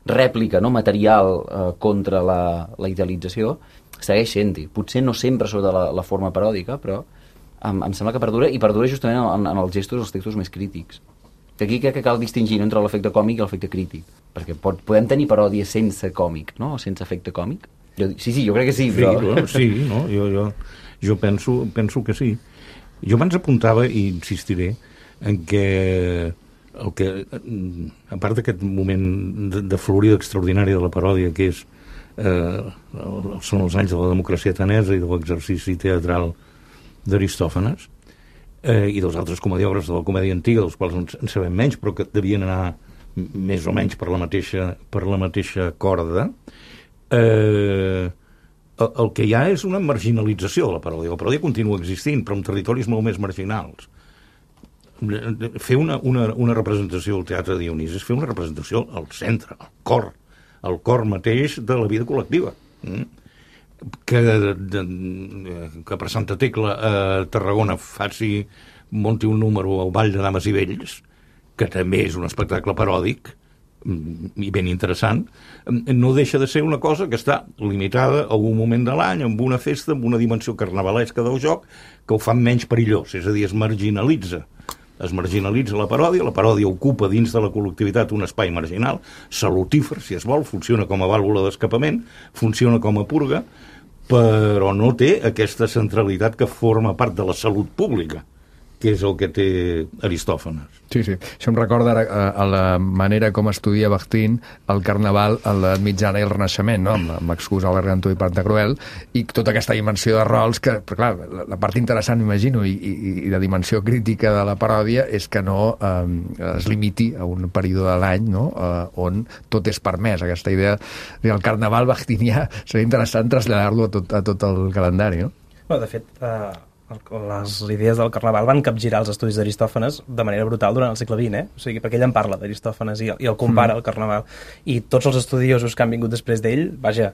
Speaker 5: rèplica, no? Material eh, contra la, la idealització segueix sent-hi. Potser no sempre sota la, la forma paròdica, però em, em sembla que perdura, i perdura justament en, en els gestos, els textos més crítics. Que aquí crec que cal distingir, no? Entre l'efecte còmic i l'efecte crític, perquè pot, podem tenir paròdies sense còmic, no? O sense efecte còmic. Jo, sí, sí, jo crec que sí, però...
Speaker 8: Sí, no? Sí, no? Jo, jo, jo penso, penso que sí. Jo abans apuntava, i insistiré, en que, el que a part d'aquest moment de, de florida extraordinària de la paròdia, que és, eh, són els anys de la democràcia atenesa i de l'exercici teatral d'Aristòfanes, eh, i dels altres comediògrafs de la comèdia antiga, dels quals en sabem menys, però que devien anar més o menys per la mateixa, per la mateixa corda, eh, el que hi ha és una marginalització de la paròdia. La paròdia continua existint, però en territoris molt més marginals. Fer una, una, una representació al Teatre de Dionís és fer una representació al centre, al cor, al cor mateix de la vida col·lectiva. Que, de, que per Santa Tecla a Tarragona faci, munti un número al Ball de Dames i Vells, que també és un espectacle paròdic, i ben interessant, no deixa de ser una cosa que està limitada a un moment de l'any, amb una festa, amb una dimensió carnavalesca del joc, que ho fan menys perillós, és a dir, es marginalitza. Es marginalitza la paròdia, la paròdia ocupa dins de la col·lectivitat un espai marginal, salutífer, si es vol, funciona com a vàlvula d'escapament, funciona com a purga, però no té aquesta centralitat que forma part de la salut pública, que és el que té Aristòfanes.
Speaker 1: Sí, sí. Això em recorda ara a, a la manera com estudia Bakhtin el carnaval a l'edat mitjana i el Renaixement, no? amb, amb l'excusa al Gargantó i Pantagruel, i tota aquesta dimensió de rols que, però clar, la, la part interessant, m'imagino, i, i, i de dimensió crítica de la paròdia és que no eh, es limiti a un període de l'any, no? eh, on tot és permès. Aquesta idea del carnaval bakhtinià seria interessant traslladar-lo a tot, a tot el calendari, no?
Speaker 4: Bueno, de fet, eh, les idees del carnaval van capgirar els estudis d'Aristòfanes de manera brutal durant el segle vint, eh? O sigui, perquè ell en parla d'Aristòfanes i, i el compara, mm. el carnaval. I tots els estudiosos que han vingut després d'ell, vaja,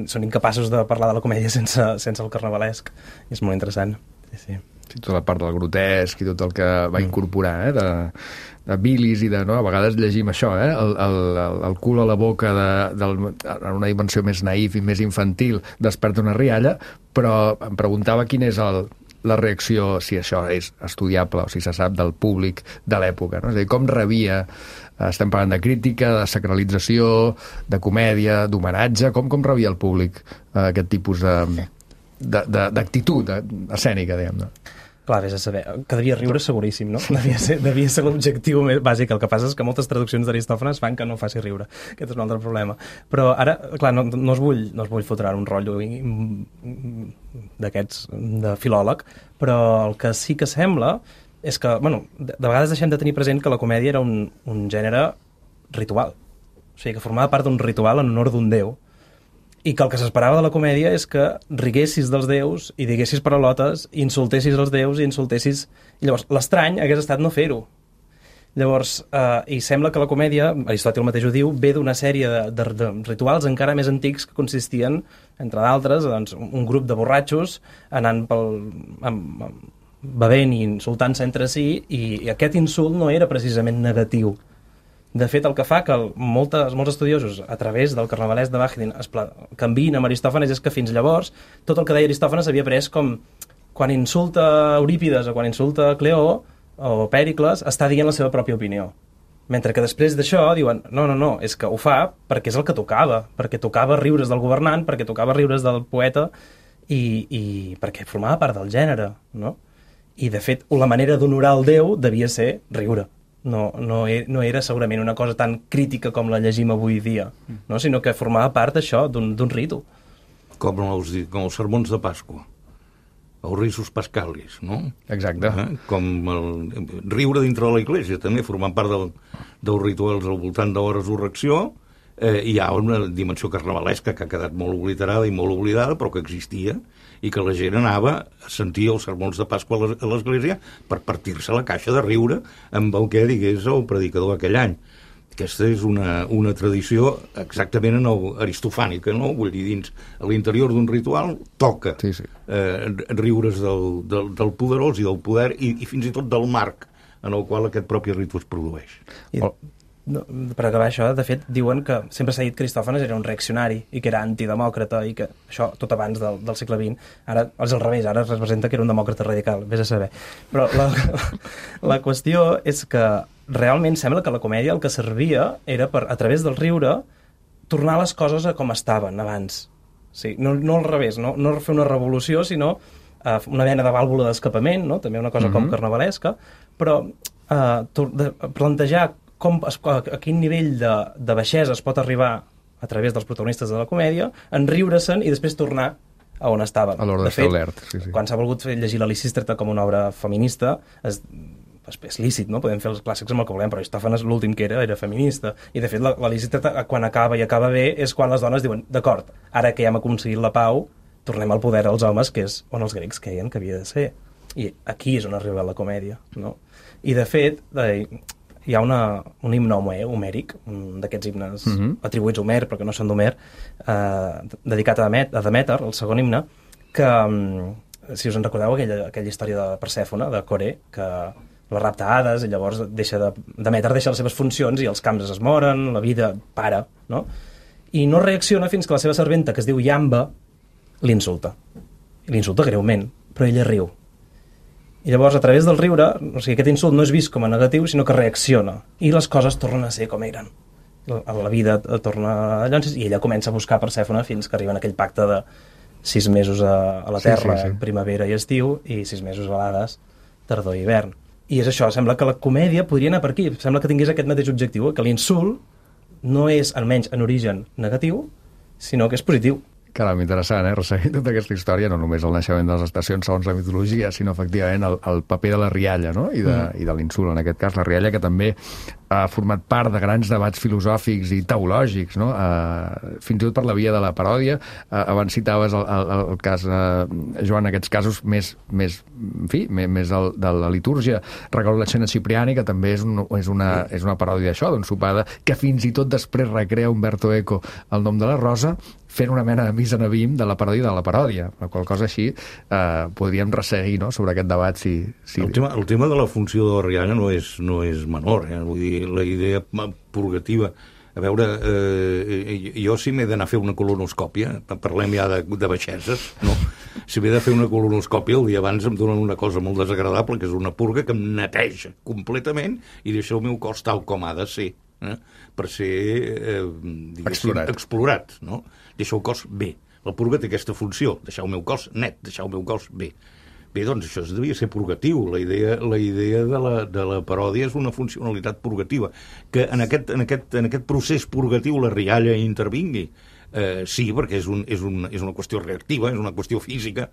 Speaker 4: són incapaços de parlar de la comèdia sense, sense el carnavalesc. I és molt interessant. Sí, sí.
Speaker 1: Sí, tota la part del grotesc i tot el que va incorporar, eh? de, de bilis i de... No? A vegades llegim això, eh? el, el, el cul a la boca de, de, en una dimensió més naïf i més infantil desperta una rialla, però em preguntava quin és el, la reacció, si això és estudiable o si se sap, del públic de l'època, no? És a dir, com rebia, estem parlant de crítica, de sacralització, de comèdia, d'homenatge, com, com rebia el públic eh, aquest tipus de, de, de, d'actitud escènica, diguem-ne?
Speaker 4: Clar, vés a saber, que devia riure seguríssim, no? Devia ser, devia ser l'objectiu més bàsic. El que passa és que moltes traduccions d'Aristòfanes fan que no faci riure. Aquest és un altre problema. Però ara, clar, no, no us vull, no us vull fotre un rotllo d'aquests, de filòleg, però el que sí que sembla és que, bueno, de, de vegades deixem de tenir present que la comèdia era un, un gènere ritual. O sigui, que formava part d'un ritual en honor d'un déu, i que el que s'esperava de la comèdia és que riguessis dels déus i diguessis paraulotes, i insultessis els déus i insultessis... I llavors, l'estrany hagués estat no fer-ho. Llavors, eh, i sembla que la comèdia, Aristòtil mateix ho diu, ve d'una sèrie de, de, de rituals encara més antics que consistien, entre d'altres, doncs, un grup de borratxos anant pel... Amb, amb, bevent i insultant-se entre si, i, i aquest insult no era precisament negatiu. De fet, el que fa que moltes, molts estudiosos, a través del carnavalesc de Bakhtin, es canviïn amb Aristòfanes és que fins llavors tot el que deia Aristòfanes havia pres com quan insulta Eurípides o quan insulta Cleó o Pèricles, està dient la seva pròpia opinió. Mentre que després d'això diuen, no, no, no, és que ho fa perquè és el que tocava, perquè tocava riures del governant, perquè tocava riures del poeta i, i perquè formava part del gènere, no? I, de fet, la manera d'honorar el déu devia ser riure. No, no, no era segurament una cosa tan crítica com la llegim avui dia, no? Sinó que formava part d'això, d'un, d'un ritu.
Speaker 8: Com els, com els sermons de Pasqua, els risus pascalis, no?
Speaker 1: Exacte.
Speaker 8: Eh? Com el riure dintre de la Iglesia, també formant part del, dels rituals al voltant de la resurrecció, eh, hi ha una dimensió carnavalesca que ha quedat molt obliterada i molt oblidada, però que existia, i que la gent anava a sentir els sermons de Pasqua a l'església per partir-se la caixa de riure amb el que digués el predicador aquell any. Aquesta és una, una tradició exactament no, aristofànica, no? Vull dir, dins a l'interior d'un ritual toca sí, sí. Eh, riure's del, del, del poderós i del poder i, i fins i tot del marc en el qual aquest propi ritu es produeix.
Speaker 4: I, no, per acabar això, de fet, diuen que sempre s'ha dit que Aristòfanes era un reaccionari i que era antidemòcrata i que això tot abans del, del segle vint, ara és al revés, ara es representa que era un demòcrata radical, vés a saber. Però la, la qüestió és que realment sembla que la comèdia el que servia era per, a través del riure, tornar les coses a com estaven abans. Sí, no, no al revés, no, no fer una revolució, sinó uh, una mena de vàlvula d'escapament, no? També una cosa mm-hmm. com carnavalesca, però uh, de, plantejar com, a, a quin nivell de, de baixesa es pot arribar a través dels protagonistes de la comèdia, enriure-se'n i després tornar a on estaven.
Speaker 1: A l'ordre establert, sí, sí.
Speaker 4: Quan s'ha volgut fer llegir la Lisístrata com una obra feminista, es és lícit, no? Podem fer els clàssics amb el que volem, però Aristòfanes l'últim que era era feminista, i de fet la, la Lisístrata quan acaba i acaba bé és quan les dones diuen, d'acord, ara que ja hem aconseguit la pau, tornem al poder als homes, que és on els grecs creien que havia de ser, i aquí és on arriba la comèdia, no? I de fet eh, hi ha una, un himne homèric, un d'aquests himnes mm-hmm. atribuïts a Homer, però que no són d'Homer, eh, dedicat a, Demet, a Demeter, el segon himne, que, si us en recordeu, aquella, aquella història de Persèfone, de Coré, que la rapta Hades, i llavors deixa de, Demeter deixa les seves funcions i els camps es moren, la vida para, no? I no reacciona fins que la seva serventa, que es diu Iamba, l'insulta. L'insulta greument, però ella riu. I llavors, a través del riure, o sigui, aquest insult no és vist com a negatiu, sinó que reacciona. I les coses tornen a ser com eren. La, la vida torna a llances, i ella comença a buscar Persèfone fins que arriba en aquell pacte de sis mesos a, a la Terra, sí, sí, sí. primavera i estiu, i sis mesos a l'Hades, tardor i hivern. I és això, sembla que la comèdia podria anar per aquí, sembla que tingués aquest mateix objectiu, que l'insult no és, almenys en origen, negatiu, sinó que és positiu.
Speaker 1: Caram, interessant, eh? Resseguir tota aquesta història, no només el naixement de les estacions segons la mitologia, sinó efectivament el, el paper de la rialla, no? I de, mm. i de l'insult, en aquest cas, la rialla, que també ha format part de grans debats filosòfics i teològics, no? Uh, fins i tot per la via de la paròdia. Uh, abans citaves el, el, el cas, uh, Joan, aquests casos més, més en fi, més, més el, de la litúrgia. Recordo la Cena Cipriani, que també és, un, és, una, és una paròdia d'això, d'un sopada, que fins i tot després recrea Umberto Eco el nom de la Rosa, fent una mena de misa navim de la paròdia de la paròdia, la qual cosa així eh, podríem resseguir, no?, sobre aquest debat. Si, si...
Speaker 8: El, tema, el tema de la funció de la rialla no és, no és menor, eh? Vull dir, la idea purgativa. A veure, eh, jo si m'he d'anar a fer una colonoscòpia, parlem ja de, de baixeses, no? Si m'he de fer una colonoscòpia, el dia abans em donen una cosa molt desagradable, que és una purga que em neteja completament i deixa el meu cos tal com ha de ser, eh? Per ser eh,
Speaker 1: explorat.
Speaker 8: explorat, no? Deixar el cos bé. La purga té aquesta funció, deixar el meu cos net, deixar el meu cos bé. Bé, doncs això devia ser purgatiu. La idea, la idea de, la, de la paròdia és una funcionalitat purgativa. Que en aquest, en aquest, en aquest procés purgatiu la rialla intervingui. Eh, sí, perquè és, un, és, un, és una qüestió reactiva, és una qüestió física,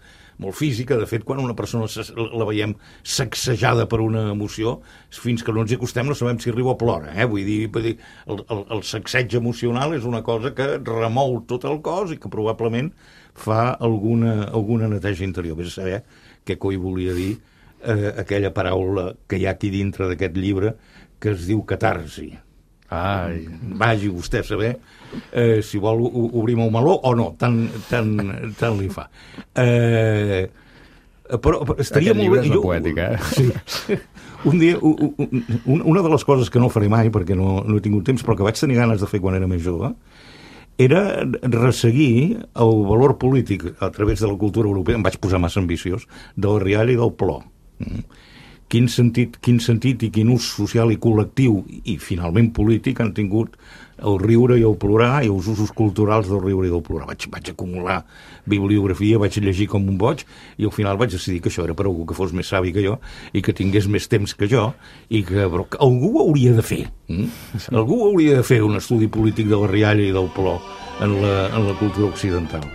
Speaker 8: molt física. De fet, quan una persona la veiem sacsejada per una emoció, fins que no ens hi acostem no sabem si riu o plora. Eh? Vull dir, vull dir el, el, el sacseig emocional és una cosa que remou tot el cos i que probablement fa alguna, alguna neteja interior. Ves a saber què coi volia dir eh, aquella paraula que hi ha aquí dintre d'aquest llibre que es diu catarsi.
Speaker 1: Ai.
Speaker 8: Vagi vostè a saber eh, si vol obrir el meló o no, tant, tant, tant li fa. Eh, però estaria
Speaker 1: Aquest
Speaker 8: molt
Speaker 1: llibre
Speaker 8: bé...
Speaker 1: és
Speaker 8: jo,
Speaker 1: una poètica, eh?
Speaker 8: Sí. Un dia, un, un, una de les coses que no faré mai, perquè no, no he tingut temps, però que vaig tenir ganes de fer quan era més jove, era resseguir el valor polític a través de la cultura europea, em vaig posar massa ambiciós, del riall i del plor. Mm. Quin sentit, quin sentit i quin ús social i col·lectiu i finalment polític han tingut el riure i el plorar i els usos culturals del riure i del plorar. Vaig, vaig acumular bibliografia, vaig llegir com un boig i al final vaig decidir que això era per algú que fos més savi que jo i que tingués més temps que jo i que, però, que algú ho hauria de fer. Mm? Algú hauria de fer un estudi polític de la rialla i del plor en la, en la cultura occidental.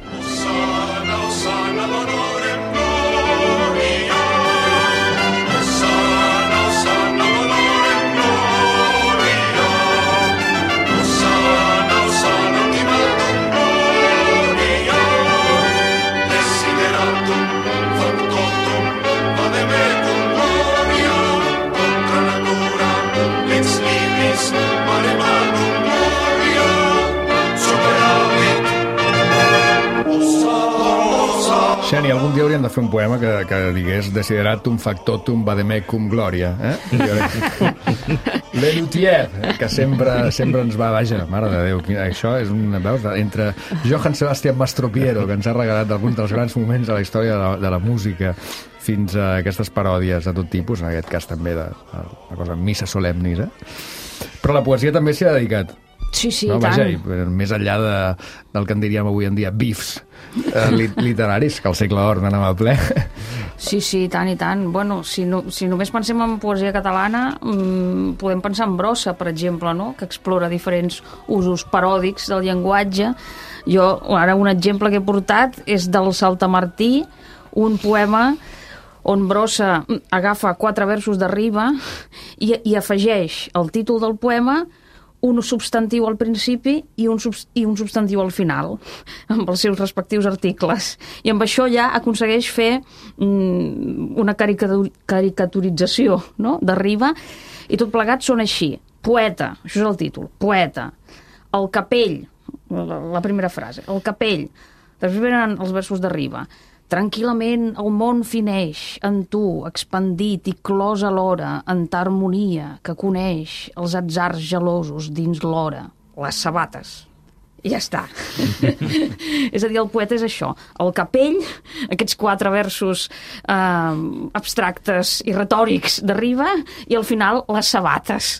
Speaker 1: Xeni, algun dia hauríem de fer un poema que, que digués Desideratum factotum vademecum gloria, eh? Lelutier, eh? Que sempre, sempre ens va, vaja, mare de Déu, això és un, veus, entre Johann Sebastian Mastropiero, que ens ha regalat alguns dels grans moments de la història de la, de la música, fins a aquestes paròdies de tot tipus, en aquest cas també de, de una cosa, missa solemnis, eh? Però la poesia també s'hi ha dedicat.
Speaker 11: Sí, sí,
Speaker 1: no?
Speaker 11: tant.
Speaker 1: Vaja, i, més enllà de, del que en diríem avui en dia bifs eh, literaris, que al segle d'or n'anem a ple.
Speaker 11: Sí, sí, tant i tant. Bueno, si, no, si només pensem en poesia catalana, mmm, podem pensar en Brossa, per exemple, no? Que explora diferents usos paròdics del llenguatge. Jo, ara, un exemple que he portat és del Saltamartí, un poema on Brossa agafa quatre versos de riba i, i afegeix el títol del poema, un substantiu al principi i un, sub, i un substantiu al final, amb els seus respectius articles. I amb això ja aconsegueix fer mm, una caricatur, caricaturització, no?, de riba, i tot plegat són així. Poeta, això és el títol, poeta. El capell, la, la primera frase, el capell. Després venen els versos de riba. Tranquil·lament el món fineix en tu, expandit i clos alhora, en ta harmonia que coneix els atzars gelosos dins l'hora, les sabates. I ja està. És a dir, el poeta és això. El capell, aquests quatre versos eh, abstractes i retòrics d'arriba, i al final les sabates.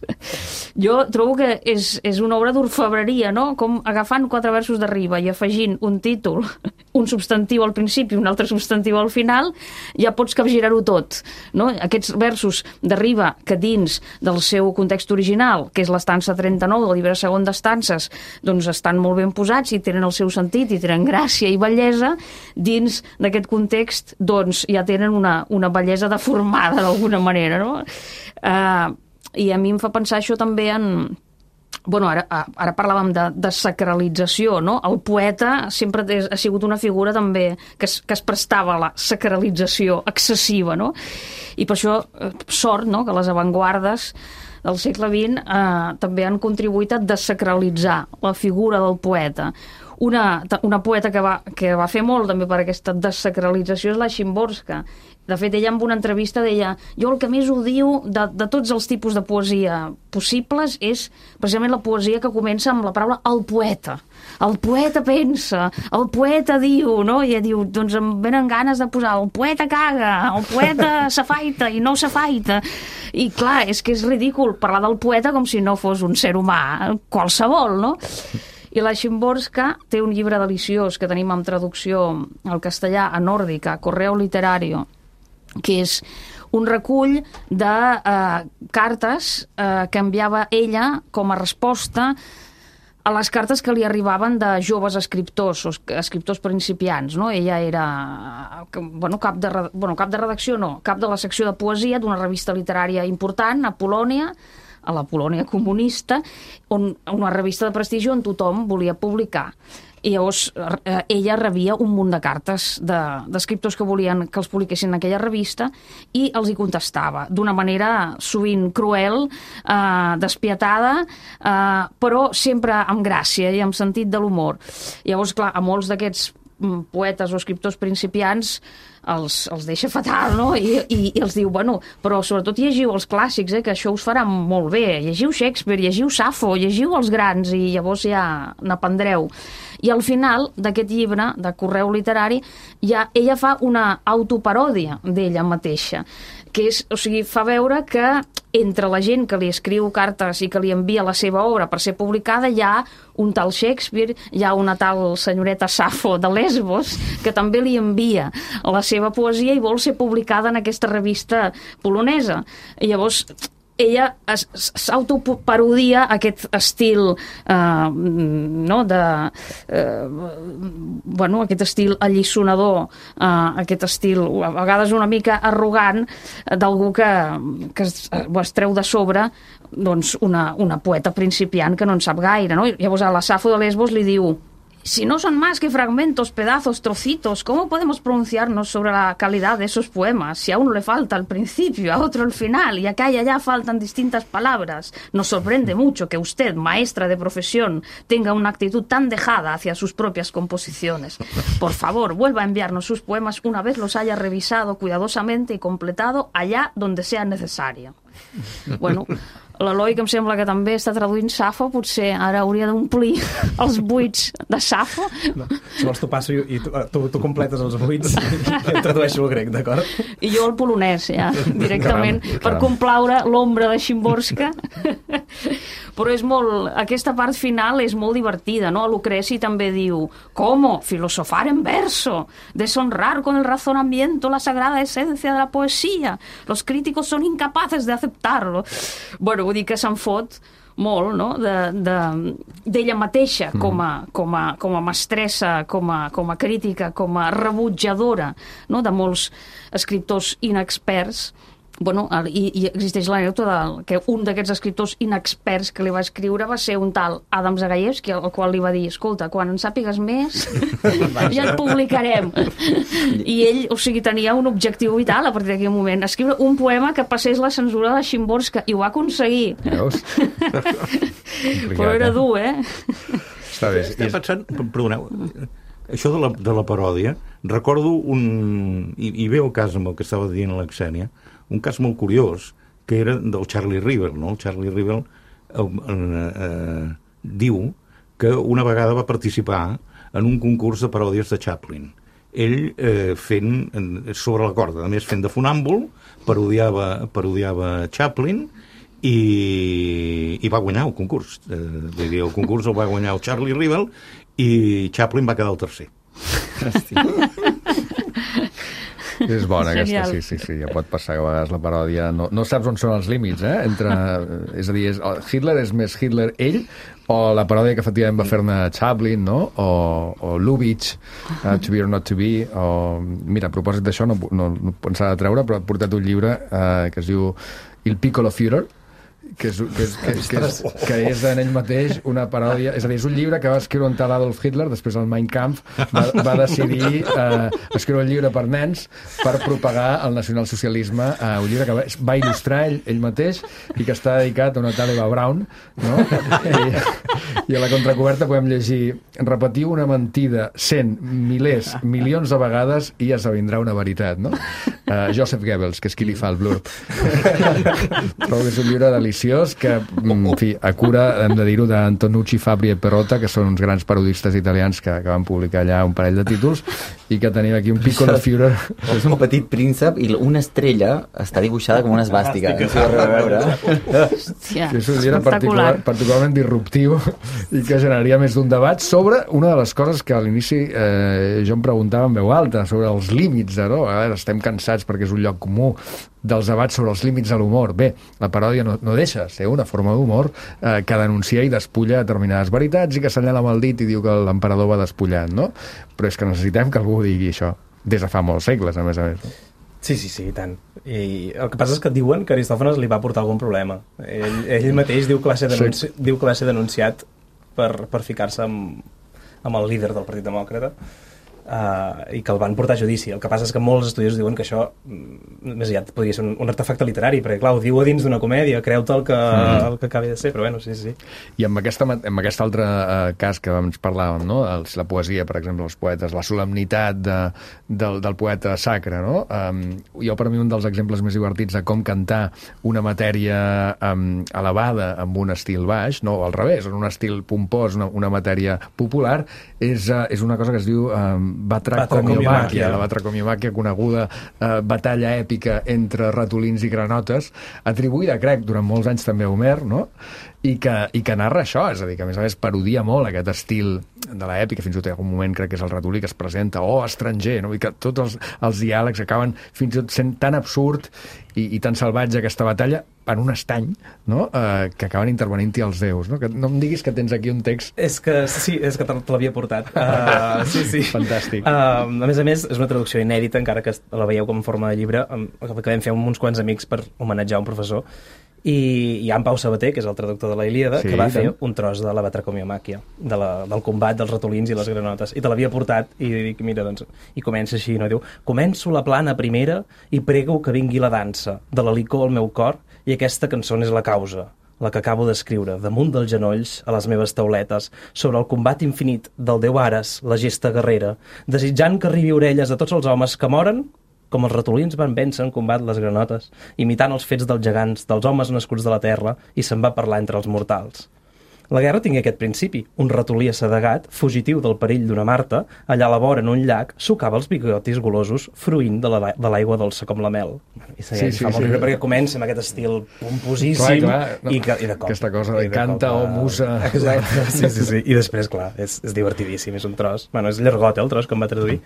Speaker 11: Jo trobo que és, és una obra d'orfebreria, no? Com agafant quatre versos d'arriba i afegint un títol, un substantiu al principi i un altre substantiu al final, ja pots capgirar-ho tot. No? Aquests versos d'arriba que dins del seu context original, que és l'estança trenta-nou del llibre segon d'estances, doncs estan molt ben posats i tenen el seu sentit i tenen gràcia i bellesa, dins d'aquest context doncs ja tenen una, una bellesa deformada d'alguna manera, no? Uh, I a mi em fa pensar això també en... Bueno, ara, ara parlàvem de, de sacralització, no? El poeta sempre ha sigut una figura també que es, que es prestava a la sacralització excessiva, no? I per això, sort, no?, que les avantguardes del segle vint eh, també han contribuït a desacralitzar la figura del poeta. Una, una poeta que va, que va fer molt també per aquesta desacralització és la Szymborska. De fet, ella en una entrevista deia: jo el que més odio de, de tots els tipus de poesia possibles és precisament la poesia que comença amb la paraula el poeta. El poeta pensa, el poeta diu, no? I ella diu, doncs em venen ganes de posar el poeta caga, el poeta s'afaita i no s'afaita. I clar, és que és ridícul parlar del poeta com si no fos un ser humà qualsevol, no? I la Szymborska té un llibre deliciós que tenim en traducció al castellà, a nòrdica, Correo Literario, que és un recull de eh, cartes eh, que enviava ella com a resposta a les cartes que li arribaven de joves escriptors, o escriptors principiants, no? Ella era bueno, cap, de, bueno, cap de redacció, no, cap de la secció de poesia d'una revista literària important a Polònia, a la Polònia comunista, on, una revista de prestigi on tothom volia publicar. I llavors eh, ella rebia un munt de cartes d'escriptors de, que volien que els publiquessin en aquella revista i els hi contestava d'una manera sovint cruel, eh, despietada, eh, però sempre amb gràcia i amb sentit de l'humor. Llavors, clar, a molts d'aquests poetes o escriptors principiants els, els deixa fatal, no? I, i, i els diu, bueno, però sobretot llegiu els clàssics, eh, que això us farà molt bé. Llegiu Shakespeare, llegiu Safo, llegiu els grans i llavors ja n'aprendreu. I al final d'aquest llibre, de Correu Literari, ja ella fa una autoparòdia d'ella mateixa, que és, o sigui, fa veure que entre la gent que li escriu cartes i que li envia la seva obra per ser publicada hi ha un tal Shakespeare, hi ha una tal senyoreta Safo de Lesbos que també li envia la seva poesia i vol ser publicada en aquesta revista polonesa. I llavors ella s'autoparodia aquest estil eh, no, de eh, bueno, aquest estil alliçonador, eh, aquest estil a vegades una mica arrogant d'algú que, que es, es treu de sobre doncs una, una poeta principiant que no en sap gaire, no? I llavors a la Safo de Lesbos li diu: Si no son más que fragmentos, pedazos, trocitos, ¿cómo podemos pronunciarnos sobre la calidad de esos poemas? Si a uno le falta el principio, a otro el final, y acá y allá faltan distintas palabras. Nos sorprende mucho que usted, maestra de profesión, tenga una actitud tan dejada hacia sus propias composiciones. Por favor, vuelva a enviarnos sus poemas una vez los haya revisado cuidadosamente y completado allá donde sea necesario. Bueno, l'Eloi, que em sembla que també està traduint Safo, potser ara hauria d'omplir els buits de Safo.
Speaker 4: No, si vols t'ho passo i, i tu, tu, tu completes els buits i em tradueixo el grec, d'acord?
Speaker 11: I jo el polonès, ja, directament, caram, per caram. complaure l'ombra de Szymborska. Però és molt... Aquesta part final és molt divertida, no? Lucreci també diu: ¿Cómo? Filosofar en verso, deshonrar con el razonamiento la sagrada esencia de la poesía. Los críticos son incapaces de aceptarlo. Bueno, vull dir que se'n fot molt, no?, d'ella de, de, mateixa com a, com, a, com a mestressa, com a, com a crítica, com a rebutjadora, no?, de molts escriptors inexperts. Bueno, i, i existeix l'anècdota que un d'aquests escriptors inexperts que li va escriure va ser un tal Adam Zagajewski, al qual li va dir: escolta, quan en sàpigues més ja et publicarem. I ell, o sigui, tenia un objectiu vital a partir d'aquell moment: escriure un poema que passés la censura de Szymborska, i ho va aconseguir. Veus? Però era dur, eh?
Speaker 8: Està bé. Estic pensant, perdoneu, això de la, de la paròdia, recordo un... I, i ve el cas amb el que estava dient la Xènia, un cas molt curiós, que era del Charlie Rivel, no? El Charlie Rivel eh, eh, diu que una vegada va participar en un concurs de paròdies de Chaplin. Ell eh, fent, sobre la corda, a més fent de fonàmbul, parodiava, parodiava Chaplin i, i va guanyar el concurs. Eh, dir, el concurs el va guanyar el Charlie Rivel i Chaplin va quedar el tercer. Hòstia.
Speaker 1: És bona aquesta, sí, sí, sí, ja pot passar que a vegades la paròdia no, no saps on són els límits, eh? Entre, és a dir, és, Hitler és més Hitler ell, o la paròdia que efectivament va fer-ne Chaplin, no? O, o Lubitsch, uh, To Be or Not To Be, o... Mira, a propòsit d'això, no, no, no pensava de treure, però ha portat un llibre uh, que es diu Il Piccolo Führer, que és, que, és, que, és, que, és, que és en ell mateix una paròdia, és a dir, és un llibre que va escriure un tal Adolf Hitler, després el Mein Kampf va, va decidir eh, escriure un llibre per nens per propagar el nacionalsocialisme, eh, un llibre que va, va il·lustrar ell, ell mateix i que està dedicat a una tal Eva Braun, no? I, i a la contracoberta podem llegir: repetiu una mentida cent, milers, milions de vegades i ja s'avindrà una veritat, no? Uh, Joseph Goebbels, que és qui li fa el blurb. Trobo que és un llibre deliciós que, en fi, a cura, hem de dir-ho, d'Antonucci, Fabri e Perrotta, que són uns grans parodistes italians que, que van publicar allà un parell de títols, i que tenim aquí un Piccolo Führer.
Speaker 5: És un petit príncep i una estrella està dibuixada com una esbàstica.
Speaker 11: Hòstia,
Speaker 1: és un llibre particular, particularment disruptiu i que generaria més d'un debat sobre una de les coses que a l'inici eh, jo em preguntava en veu alta, sobre els límits, no? A veure, estem cansats perquè és un lloc comú dels debats sobre els límits de l'humor. Bé, la paròdia no, no deixa ser una forma d'humor eh, que denuncia i despulla determinades veritats i que s'enllala amb el dit i diu que l'emperador va despullant, no? Però és que necessitem que algú digui això des de fa molts segles, a més a més, no?
Speaker 4: Sí, sí, sí, i tant. I el que passa és que diuen que Aristòfanes li va portar algun problema. Ell, ell mateix diu que va ser, denunci... sí. diu que va ser denunciat per, per ficar-se amb, amb el líder del Partit Demòcrata. Uh, i que el van portar a judici. El que passa és que molts estudiosos diuen que això més aviat podria ser un, un artefacte literari, perquè clar, ho diu a dins d'una comèdia, creu-te el que, mm. el que acabi de ser, però bueno, sí, sí.
Speaker 1: I amb, aquesta, amb aquest altre uh, cas que ens parlàvem, no? Els, la poesia, per exemple, els poetes, la solemnitat de, del, del poeta sacre, no? Um, jo, per mi, un dels exemples més divertits de com cantar una matèria um, elevada amb un estil baix, no, al revés, en un estil pompós, una, una matèria popular, és, uh, és una cosa que es diu um, Batracomiomaquia, la batracomiomaquia, coneguda eh, batalla èpica entre ratolins i granotes, atribuïda, crec, durant molts anys també a Homer, no? I que, i que narra això, és a dir, que a més a més parodia molt aquest estil de l'èpica, fins i tot hi ha un moment, crec que és el ratolí que es presenta, oh, estranger, no? I que tots els, els diàlegs acaben fins i tot sent tan absurd i, i tan salvatge aquesta batalla en un estany, no? Eh, que acaben intervenint-hi els déus, no? Que no em diguis que tens aquí un text...
Speaker 4: És que sí, és que te l'havia portat. Uh, sí, sí.
Speaker 1: Fantàstic.
Speaker 4: Uh, a més a més, és una traducció inèdita, encara que la veieu com en forma de llibre, que vam fer amb uns quants amics per homenatjar un professor, I hi ha en Pau Sabater, que és el traductor de la Ilíada,
Speaker 1: Sí,
Speaker 4: que va
Speaker 1: tant.
Speaker 4: fer un tros de la batracomiomàquia, de la, del combat dels ratolins i les granotes, i te l'havia portat, i dic, mira, doncs, i comença així, no? Diu, començo la plana primera i prego que vingui la dansa, de la licor al meu cor, i aquesta cançó és la causa, la que acabo d'escriure, damunt dels genolls, a les meves tauletes, sobre el combat infinit del Déu Ares, la gesta guerrera, desitjant que arribi a orelles de tots els homes que moren, com els ratolins van vèncer en combat les granotes, imitant els fets dels gegants, dels homes nascuts de la terra, i se'n va parlar entre els mortals. La guerra tingué aquest principi. Un ratolí assedegat, fugitiu del perill d'una Marta, allà a la vora en un llac, sucava els bigotis golosos fruint de la- de l'aigua dolça com la mel. I
Speaker 1: Sí,
Speaker 4: segueix,
Speaker 1: sí,
Speaker 4: fa molt
Speaker 1: sí.
Speaker 4: riure perquè comença amb aquest estil pomposíssim
Speaker 1: Clar, clar, no.
Speaker 4: i, que, i de cop.
Speaker 1: Aquesta cosa de
Speaker 4: i
Speaker 1: canta
Speaker 4: cop,
Speaker 1: o musa.
Speaker 4: Exacte, sí, sí, sí. I després, clar, és, és divertidíssim, és un tros. Bueno, és llargot, eh, el tros, que em va traduir,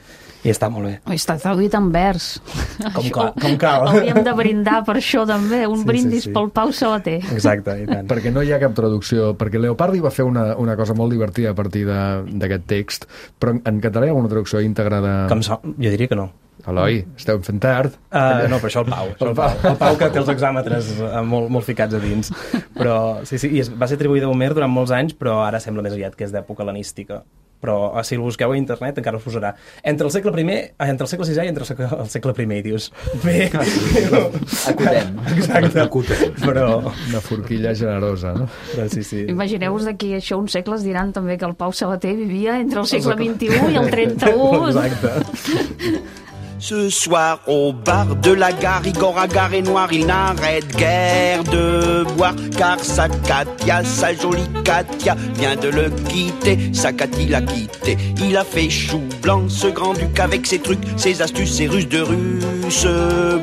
Speaker 4: i està molt bé.
Speaker 11: Està traduït en vers.
Speaker 4: Com,
Speaker 11: Això-
Speaker 4: cal, com cal.
Speaker 11: Hauríem de brindar per això també, un
Speaker 4: Sí, sí,
Speaker 11: brindis
Speaker 4: sí.
Speaker 11: pel Pau Sabater.
Speaker 4: Exacte, i tant.
Speaker 1: Perquè no hi ha cap traducció, perquè Leopardi va fer una, una cosa molt divertida a partir de- d'aquest text, però en, en català hi ha una traducció íntegra de...
Speaker 4: Com so... Jo diria que no.
Speaker 1: Eloi, esteu fent tard.
Speaker 4: Uh, no, però això el Pau, això el Pau. El Pau que té els exàmetres uh, molt, molt ficats a dins. Però sí, sí, i es, va ser atribuïda a Homer durant molts anys, però ara sembla més aviat que és d'època hel·lenística. Però si el busqueu a internet encara us posarà entre el segle primer, ah, entre el segle sisè i entre el segle, el segle primer, i dius, bé,
Speaker 5: Acotem.
Speaker 4: exacte,
Speaker 8: Acotem.
Speaker 4: però,
Speaker 1: Una forquilla generosa, no?
Speaker 4: però sí, sí.
Speaker 11: Imagineu-vos d'aquí a això uns segles diran també que el Pau Sabater vivia entre el segle vint-i-u i el trenta-u.
Speaker 4: Exacte.
Speaker 9: Ce soir au bar de la gare, Igor Agar est noir, il n'arrête guère de boire, car sa Katia, sa jolie Katia, vient de le quitter, sa Katy l'a quitté. Il a fait chou blanc, ce grand-duc, avec ses trucs, ses astuces, ses ruses de russe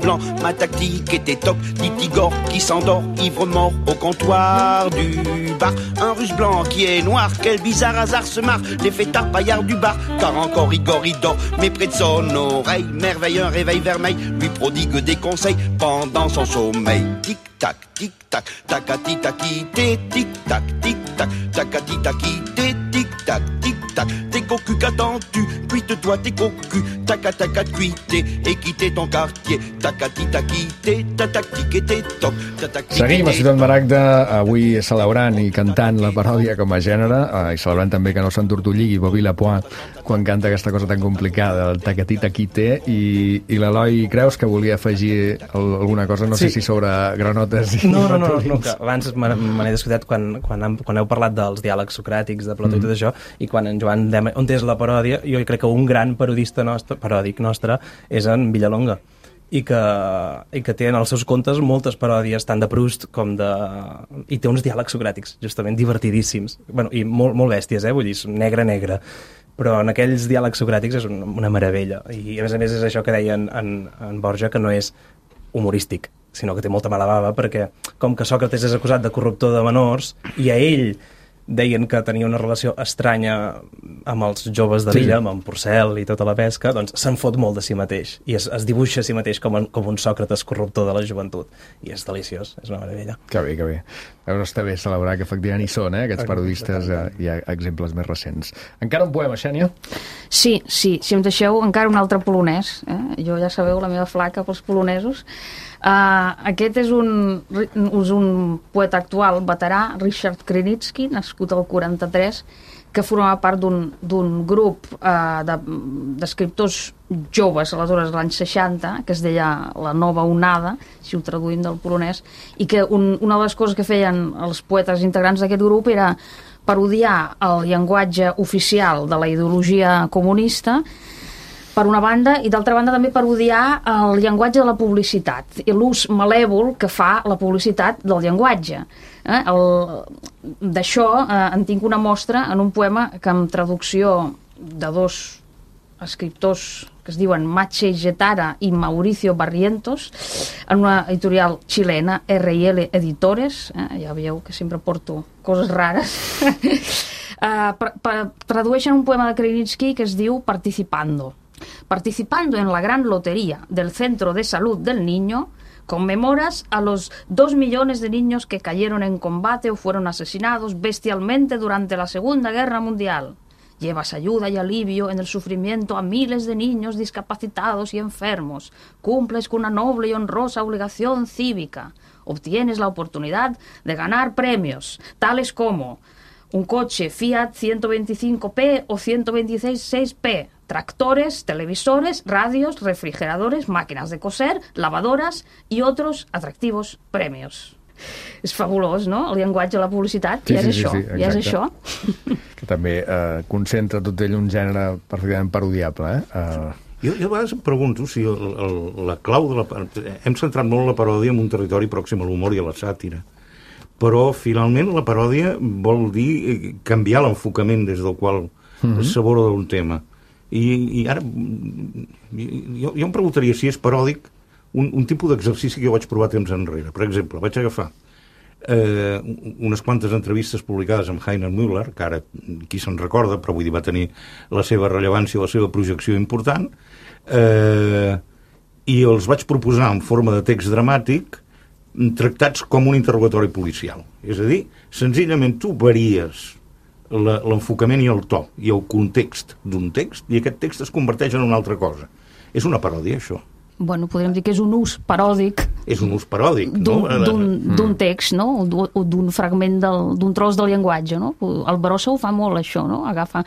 Speaker 9: blanc. Ma tactique était toc, dit Igor qui s'endort, ivre mort au comptoir du bar. Un russe blanc qui est noir, quel bizarre hasard se marre, les fêtards paillards du bar, car encore Igor il dort, mais près de son oreille, merveille, un réveil vermeil, lui prodigue des conseils pendant son sommeil. Tic-tac, tic-tac, tacati taquité, tic-tac, tic-tac, tacati taquité, tic-tac, tic-tac, tes cocus qu'attends-tu, cuite-toi tes cocus, taca-taca cuité, et quitter ton quartier, tacati taquité, ta tactique et tes toc, ta tactique
Speaker 1: Seguim a
Speaker 9: et tes
Speaker 1: Ciutat Maragda, avui celebrant i cantant la paròdia com a gènere, eh, i celebrant també que no s'entortolligui Bobby Lapointe quan canta aquesta cosa tan complicada, el tacatí taquité, i, i l'Eloi creus que volia afegir el, alguna cosa, no
Speaker 4: Sí.
Speaker 1: sé si sobre granotes i
Speaker 4: No, no, no, no,
Speaker 1: ratolins.
Speaker 4: que abans me me n'he descuidat quan, quan, hem, quan heu parlat dels diàlegs socràtics de Plató mm. i tot això, i quan en Joan Dema, on és la paròdia, jo crec que un gran parodista nostre, paròdic nostre és en Villalonga, i que, i que té en els seus contes moltes paròdies, tant de Proust com de... i té uns diàlegs socràtics, justament divertidíssims, bueno, i molt, molt bèsties, eh? Vull dir, negre, negre, però en aquells diàlegs socràtics és una, una meravella, i a més a més és això que deia en, en, en Borja, que no és humorístic, sinó que té molta mala bava, perquè com que Sòcrates és acusat de corruptor de menors, i a ell deien que tenia una relació estranya amb els joves de l'illa,
Speaker 1: Sí.
Speaker 4: amb en Porcel i tota la pesca, doncs se'n fot molt de si mateix, i es, es dibuixa a si mateix com, en, com un Sòcrates corruptor de la joventut, i és deliciós, és una meravella.
Speaker 1: Que bé, que bé. Veus, està bé celebrar que efectivament hi són, eh, aquests parodistes, eh, hi ha exemples més recents. Encara un poema, Xènia?
Speaker 11: Sí, sí, si em deixeu encara un altre polonès, eh? Jo ja sabeu la meva flaca pels polonesos. Uh, aquest és un, és un poeta actual, veterà, Richard Krynicki, nascut al quaranta-tres, que formava part d'un grup uh, d'escriptors de, joves, aleshores, l'any seixanta, que es deia La Nova Onada, si ho traduïm del polonès, i que un, una de les coses que feien els poetes integrants d'aquest grup era parodiar el llenguatge oficial de la ideologia comunista, per una banda, i d'altra banda també parodiar el llenguatge de la publicitat i l'ús malèvol que fa la publicitat del llenguatge. Eh? D'això eh, en tinc una mostra en un poema que amb traducció de dos escriptors que es diuen Mache Getara i Mauricio Barrientos, en una editorial xilena, R i L Editores, eh? Ja veieu que sempre porto coses rares, uh, per, per, tradueixen un poema de Krynicki que es diu Participando. Participando en la gran lotería del Centro de Salud del Niño, conmemoras a los dos millones de niños que cayeron en combate o fueron asesinados bestialmente durante la Segunda Guerra Mundial. Llevas ayuda y alivio en el sufrimiento a miles de niños discapacitados y enfermos. Cumples con una noble y honrosa obligación cívica. obtienes la oportunidad de ganar premios, tales como un coche Fiat ciento veinticinco P o ciento veintiséis P, tractores, televisores, radios, refrigeradores, máquinas de coser, lavadoras i otros atractivos premios. És fabulós, no? El llenguatge de la publicitat,
Speaker 1: sí,
Speaker 11: ja és
Speaker 1: sí,
Speaker 11: això,
Speaker 1: sí, sí,
Speaker 11: ja és això.
Speaker 1: Que també eh, concentra tot ell un gènere perfectament parodiable, eh? Uh...
Speaker 8: Jo, jo a vegades em pregunto si el, el, la clau de la... Hem centrat molt la paròdia en un territori pròxim a l'humor i a la sàtira, però finalment la paròdia vol dir canviar l'enfocament des del qual mm-hmm. s'aborda un tema. I, i ara jo, jo em preguntaria si és paròdic un, un tipus d'exercici que jo vaig provar temps enrere. Per exemple, vaig agafar eh, unes quantes entrevistes publicades amb Heiner Müller, que ara qui se'n recorda, però vull dir va tenir la seva rellevància, la seva projecció important, eh, i els vaig proposar en forma de text dramàtic tractats com un interrogatori policial. És a dir, senzillament tu varies l'enfocament i el to i el context d'un text i aquest text es converteix en una altra cosa. És una paròdia, això.
Speaker 11: Bueno, podríem dir que és un ús paròdic.
Speaker 8: És un ús paròdic, no?
Speaker 11: D'un text, no? O d'un fragment, d'un tros del llenguatge, no? El Barossa ho fa molt, això, no? Agafa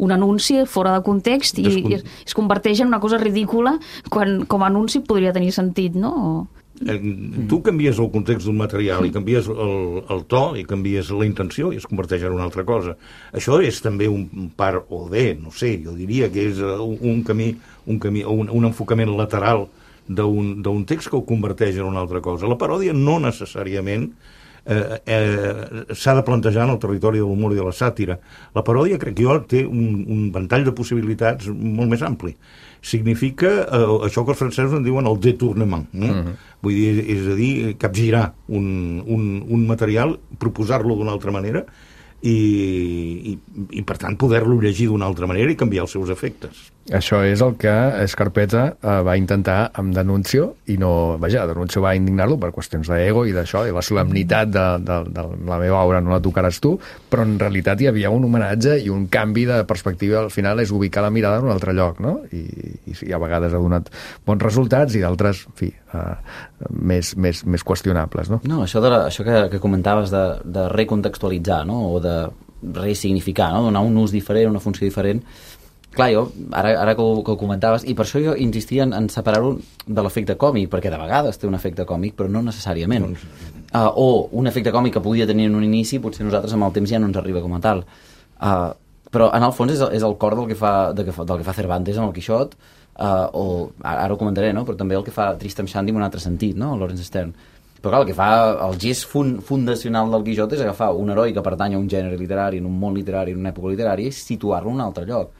Speaker 11: un anunci fora de context i, Descon... i es converteix en una cosa ridícula quan com a anunci podria tenir sentit, no?
Speaker 8: Tu canvies el context d'un material i canvies el, el to i canvies la intenció i es converteix en una altra cosa. Això és també un part o bé, no sé, jo diria que és un camí, un, camí, un, un enfocament lateral d'un text que ho converteix en una altra cosa. La paròdia no necessàriament eh, eh, s'ha de plantejar en el territori de l'humor i de la sàtira. La paròdia, crec jo, té un, un ventall de possibilitats molt més ampli. Significa eh, això que els francesos en diuen el détournement, no? Uh-huh. Vull dir, és a dir, capgirar un, un, un material, proposar-lo d'una altra manera i, i, i per tant, poder-lo llegir d'una altra manera i canviar els seus efectes.
Speaker 1: Això és el que Scarpetta eh, va intentar amb D'Annunzio i no, vaja, D'Annunzio va indignar-lo per qüestions d'ego i d'això, i la solemnitat de, de, de la meva obra no la tocaràs tu, però en realitat hi havia un homenatge i un canvi de perspectiva. Al final és ubicar la mirada en un altre lloc, no? I, i sí, a vegades ha donat bons resultats i d'altres, en fi, eh, més, més, més qüestionables, no?
Speaker 5: No, això, de la, això que, que comentaves de, de recontextualitzar, no? O de resignificar, no? Donar un ús diferent, una funció diferent. Clar, jo, ara, ara que, ho, que ho comentaves, i per això jo insistia en, en separar-ho de l'efecte còmic, perquè de vegades té un efecte còmic, però no necessàriament. Uh, o un efecte còmic que podia tenir en un inici, potser nosaltres amb el temps ja no ens arriba com a tal. Uh, però en el fons és, és el cor del que fa, de que fa, del que fa Cervantes amb el Quixot, uh, o ara ho comentaré, no? Però també el que fa Tristram Shandy en un altre sentit, no? Lawrence Stern. Però clar, el que fa el gest fund, fundacional del Quixot és agafar un heroi que pertany a un gènere literari, en un món literari, en una època literària, i situar-lo en un altre lloc.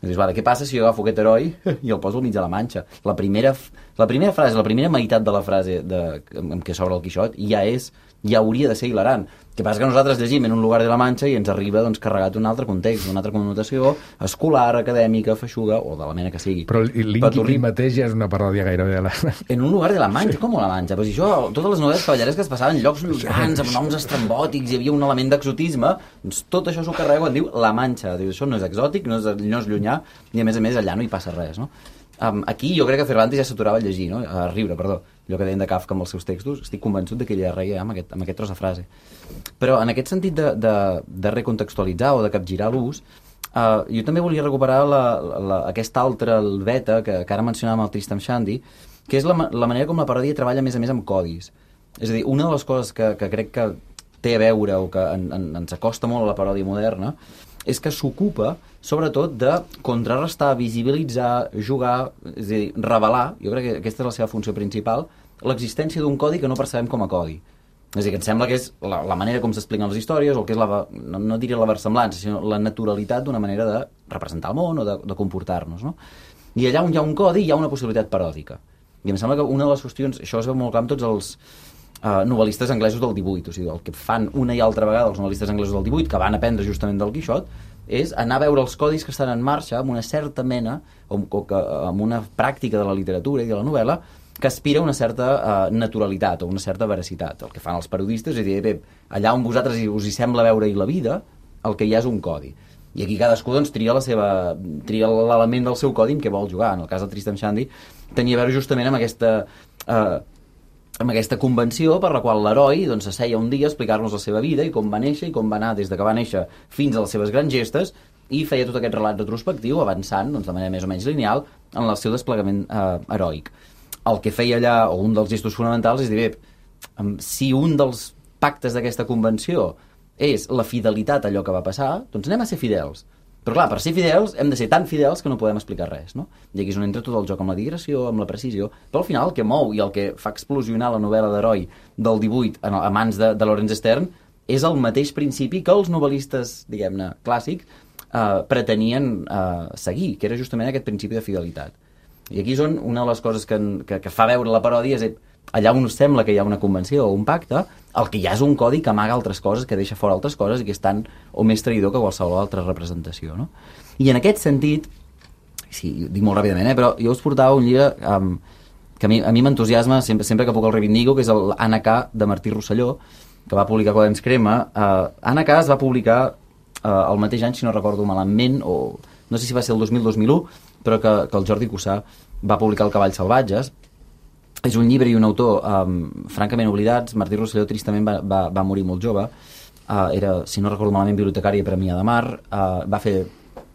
Speaker 5: Dius, vale, què passa si jo agafo aquest heroi i el poso al mig de la Manxa? La primera, la primera frase, la primera meitat de la frase de, amb què s'obre el Quixot ja és, ja hauria de ser hilarant. El que passa que nosaltres llegim en un lugar de la Manxa i ens arriba doncs, carregat un altre context, una altra connotació escolar, acadèmica, feixuga, o de la mena que sigui.
Speaker 1: Però l'Inqui mateix ja és una paròdia gairebé de la...
Speaker 5: En un lugar de la Manxa? Com la Manxa? Pues això, totes les novel·les cavalleresques es passaven en llocs llunyans, amb noms estrambòtics, hi havia un element d'exotisme, doncs tot això s'ho carrega quan diu la Manxa. Diu, això no és exòtic, no és, no és llunyà, i a més a més allà no hi passa res, no? Um, aquí jo crec que Cervantes ja s'aturava a llegir, no? A riure, perdó, allò que deien de Kafka amb els seus textos, estic convençut de que ella reia amb aquest, amb aquest tros de frase. Però en aquest sentit de, de, de recontextualitzar o de capgirar l'ús, uh, jo també volia recuperar la, la, aquesta altra beta que, que ara mencionàvem el Tristram Shandy, que és la, la manera com la paròdia treballa a més a més amb codis. És a dir, una de les coses que, que crec que té a veure o que en, en, ens acosta molt a la paròdia moderna és que s'ocupa, sobretot, de contrarrestar, visibilitzar, jugar, és a dir, revelar, jo crec que aquesta és la seva funció principal, l'existència d'un codi que no percebem com a codi. És a dir, que em sembla que és la, la manera com s'expliquen les històries, o que és la, no, no diria la versemblança, sinó la naturalitat d'una manera de representar el món o de, de comportar-nos, no? I allà on hi ha un codi hi ha una possibilitat paròdica. I em sembla que una de les qüestions, això es veu molt clar amb tots els uh, novel·listes anglesos del divuit, o sigui, el que fan una i altra vegada els novel·listes anglesos del divuit, que van aprendre justament del Quixot, és anar a veure els codis que estan en marxa amb una certa mena, o, o que, amb una pràctica de la literatura i de la novel·la, que aspira a una certa uh, naturalitat o una certa veracitat. El que fan els parodistes és dir, bé, allà on vosaltres us hi sembla veure-hi la vida, el que hi ha és un codi. I aquí cadascú doncs, tria la seva, tria l'element del seu codi amb què vol jugar. En el cas del Tristram Shandy tenia a veure justament amb aquesta uh, amb aquesta convenció per la qual l'heroi doncs, asseia un dia a explicar-nos la seva vida i com va néixer i com va anar des de que va néixer fins a les seves grans gestes, i feia tot aquest relat retrospectiu avançant doncs, de manera més o menys lineal en el seu desplegament eh, heroic. El que feia allà, o un dels gestos fonamentals, és dir, bé, si un dels pactes d'aquesta convenció és la fidelitat a allò que va passar, doncs anem a ser fidels. Però clar, per ser fidels hem de ser tan fidels que no podem explicar res, no? I aquí és on entra tot el joc amb la digressió, amb la precisió, però al final el que mou i el que fa explosionar la novel·la d'heroi del divuit a mans de, de Laurence Sterne és el mateix principi que els novel·listes, diguem-ne, clàssics eh, pretenien eh, seguir, que era justament aquest principi de fidelitat. I aquí és on una de les coses que, que, que fa veure la paròdia és allà on us sembla que hi ha una convenció o un pacte, el que hi ha és un codi que amaga altres coses, que deixa fora altres coses i que és tan o més traïdor que qualsevol altra representació, no? I en aquest sentit, sí, dic molt ràpidament, eh, però jo us portava un llibre um, que a mi, a mi m'entusiasma sempre, sempre que puc el reivindico, que és el Anna K de Martí Rosselló, que va publicar Quaderns Crema. Uh, Anna K es va publicar uh, el mateix any, si no recordo malament, o no sé si va ser el dos mil dos mil u, però que, que el Jordi Cussà va publicar El Cavalls Salvatges. És un llibre i un autor um, francament oblidats. Martí Rosselló tristament va, va, va morir molt jove. Uh, era, si no recordo malament, bibliotecari a Premià de Mar. Uh, va fer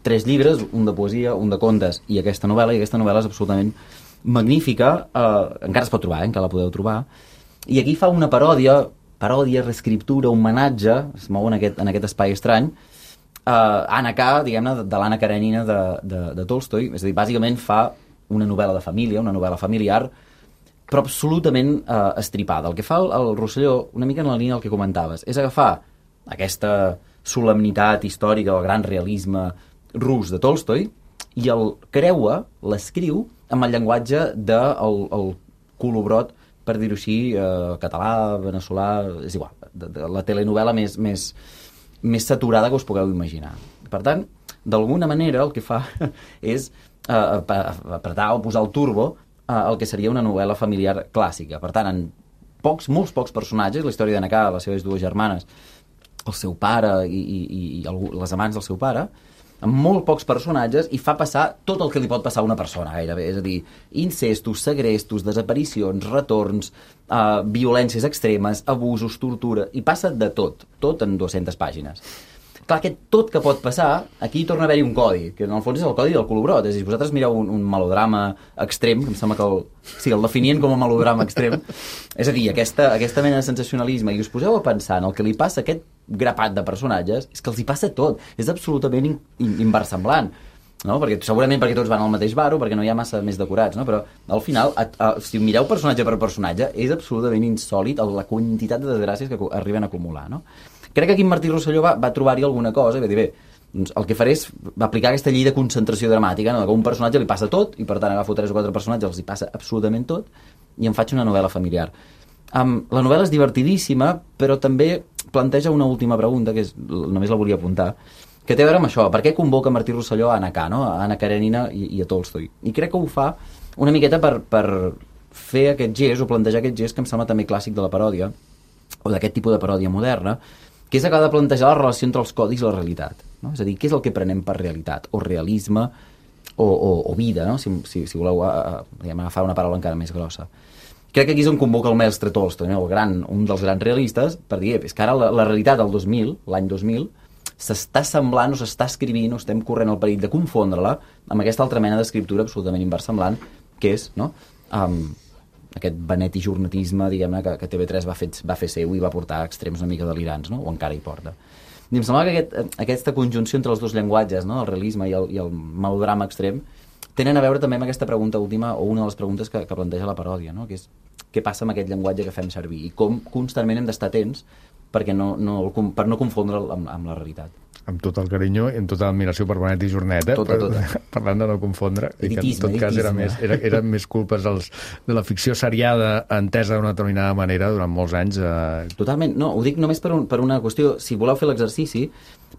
Speaker 5: tres llibres, un de poesia, un de contes i aquesta novel·la, i aquesta novel·la és absolutament magnífica. Uh, encara es pot trobar, eh? Encara la podeu trobar. I aquí fa una paròdia, paròdia, reescriptura, homenatge, es mou en aquest, en aquest espai estrany, uh, Anna K, diguem-ne, de, de l'Anna Karenina de, de, de Tolstoi. És a dir, bàsicament fa una novel·la de família, una novel·la familiar, però absolutament eh, estripada. El que fa el, el Rosselló, una mica en la línia del que comentaves, és agafar aquesta solemnitat històrica, el gran realisme rus de Tolstoi, i el creua, l'escriu, amb el llenguatge del el colobrot, per dir-ho així, eh, català, veneçolà, és igual, de, de la telenovel·la més, més, més saturada que us pugueu imaginar. Per tant, d'alguna manera el que fa és eh, apretar o posar el turbo el que seria una novel·la familiar clàssica. Per tant, en pocs, molts pocs personatges, la història d'Anna K, les seves dues germanes, el seu pare i, i, i algú, les amants del seu pare, amb molt pocs personatges, i fa passar tot el que li pot passar a una persona, gairebé. És a dir, incestos, segrestos, desaparicions, retorns, eh, violències extremes, abusos, tortura, i passa de tot, tot en dues-centes pàgines. Clar, aquest tot que pot passar, aquí torna a haver-hi un codi, que en el fons és el codi del colobrot. És a dir, vosaltres mireu un, un melodrama extrem, que em sembla que el, sí, el definien com a melodrama extrem, és a dir, aquesta, aquesta mena de sensacionalisme, i us poseu a pensar en el que li passa a aquest grapat de personatges, és que els hi passa tot, és absolutament in, in, inversemblant, no? Perquè, segurament perquè tots van al mateix bar o perquè no hi ha massa més decorats, no? Però al final, a, a, si mireu personatge per personatge, és absolutament insòlit la quantitat de desgràcies que arriben a acumular, no? Crec que aquí en Martí Rosselló va, va trobar-hi alguna cosa i va dir, bé, doncs el que faré és aplicar aquesta llei de concentració dramàtica, no? Que a un personatge li passa tot, i per tant agafo tres o quatre personatges, els hi passa absolutament tot, i em faig una novel·la familiar. Um, la novel·la és divertidíssima, però també planteja una última pregunta, que és, només la volia apuntar, que té a veure amb això. Per què convoca Martí Rosselló a Anna K, no? A Anna Karenina i, i a Tolstoi? I crec que ho fa una miqueta per, per fer aquest gest, o plantejar aquest gest que em sembla també clàssic de la paròdia, o d'aquest tipus de paròdia moderna, que és acabar de plantejar la relació entre els codis i la realitat, no? És a dir, què és el que prenem per realitat, o realisme, o, o, o vida, no? Si, si, si voleu a, a, diguem, agafar una paraula encara més grossa. Crec que aquí és on convoca el mestre Tolstoi, no? El gran, un dels grans realistes, per dir, és que ara la, la realitat del dos mil, l'any dos mil, s'està semblant o s'està escrivint o estem corrent el perill de confondre-la amb aquesta altra mena d'escriptura absolutament inversemblant, que és, no?, um, aquest beneti jornatisme, diguem-ne, que, que T V tres va fer, va fer seu i va portar a extrems una mica delirants, no? O encara hi porta. I em sembla que aquest, aquesta conjunció entre els dos llenguatges, no? El realisme i el, i el melodrama extrem, tenen a veure també amb aquesta pregunta última, o una de les preguntes que, que planteja la paròdia, no? Que és què passa amb aquest llenguatge que fem servir i com constantment hem d'estar atents perquè no, no, per no confondre'l amb, amb la realitat.
Speaker 1: Amb tot el carinyo i amb tota l'admiració per Benet i Jornet, eh?
Speaker 5: Tota, tota.
Speaker 1: Per, parlant de no confondre, i que en tot
Speaker 5: editisme.
Speaker 1: cas era més, era, era més culpes dels, de la ficció seriada entesa d'una determinada manera durant molts anys. Eh...
Speaker 5: Totalment, no, ho dic només per, un, per una qüestió, si voleu fer l'exercici,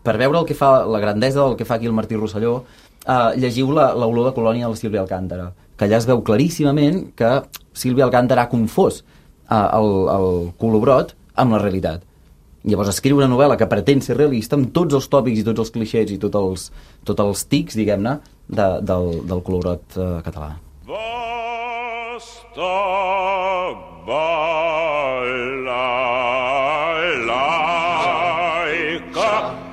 Speaker 5: per veure el que fa, la grandesa del que fa aquí el Martí Rosselló, eh, llegiu la, l'olor de colònia de la Sílvia Alcántara, que allà es veu claríssimament que Sílvia Alcántara ha confós eh, el, el colobrot amb la realitat. Llavors escriu una novel·la que pretén ser realista amb tots els tòpics i tots els clixés i tots els, tots els tics, diguem-ne, de, del, del colobrot eh, català.
Speaker 9: Basta laica,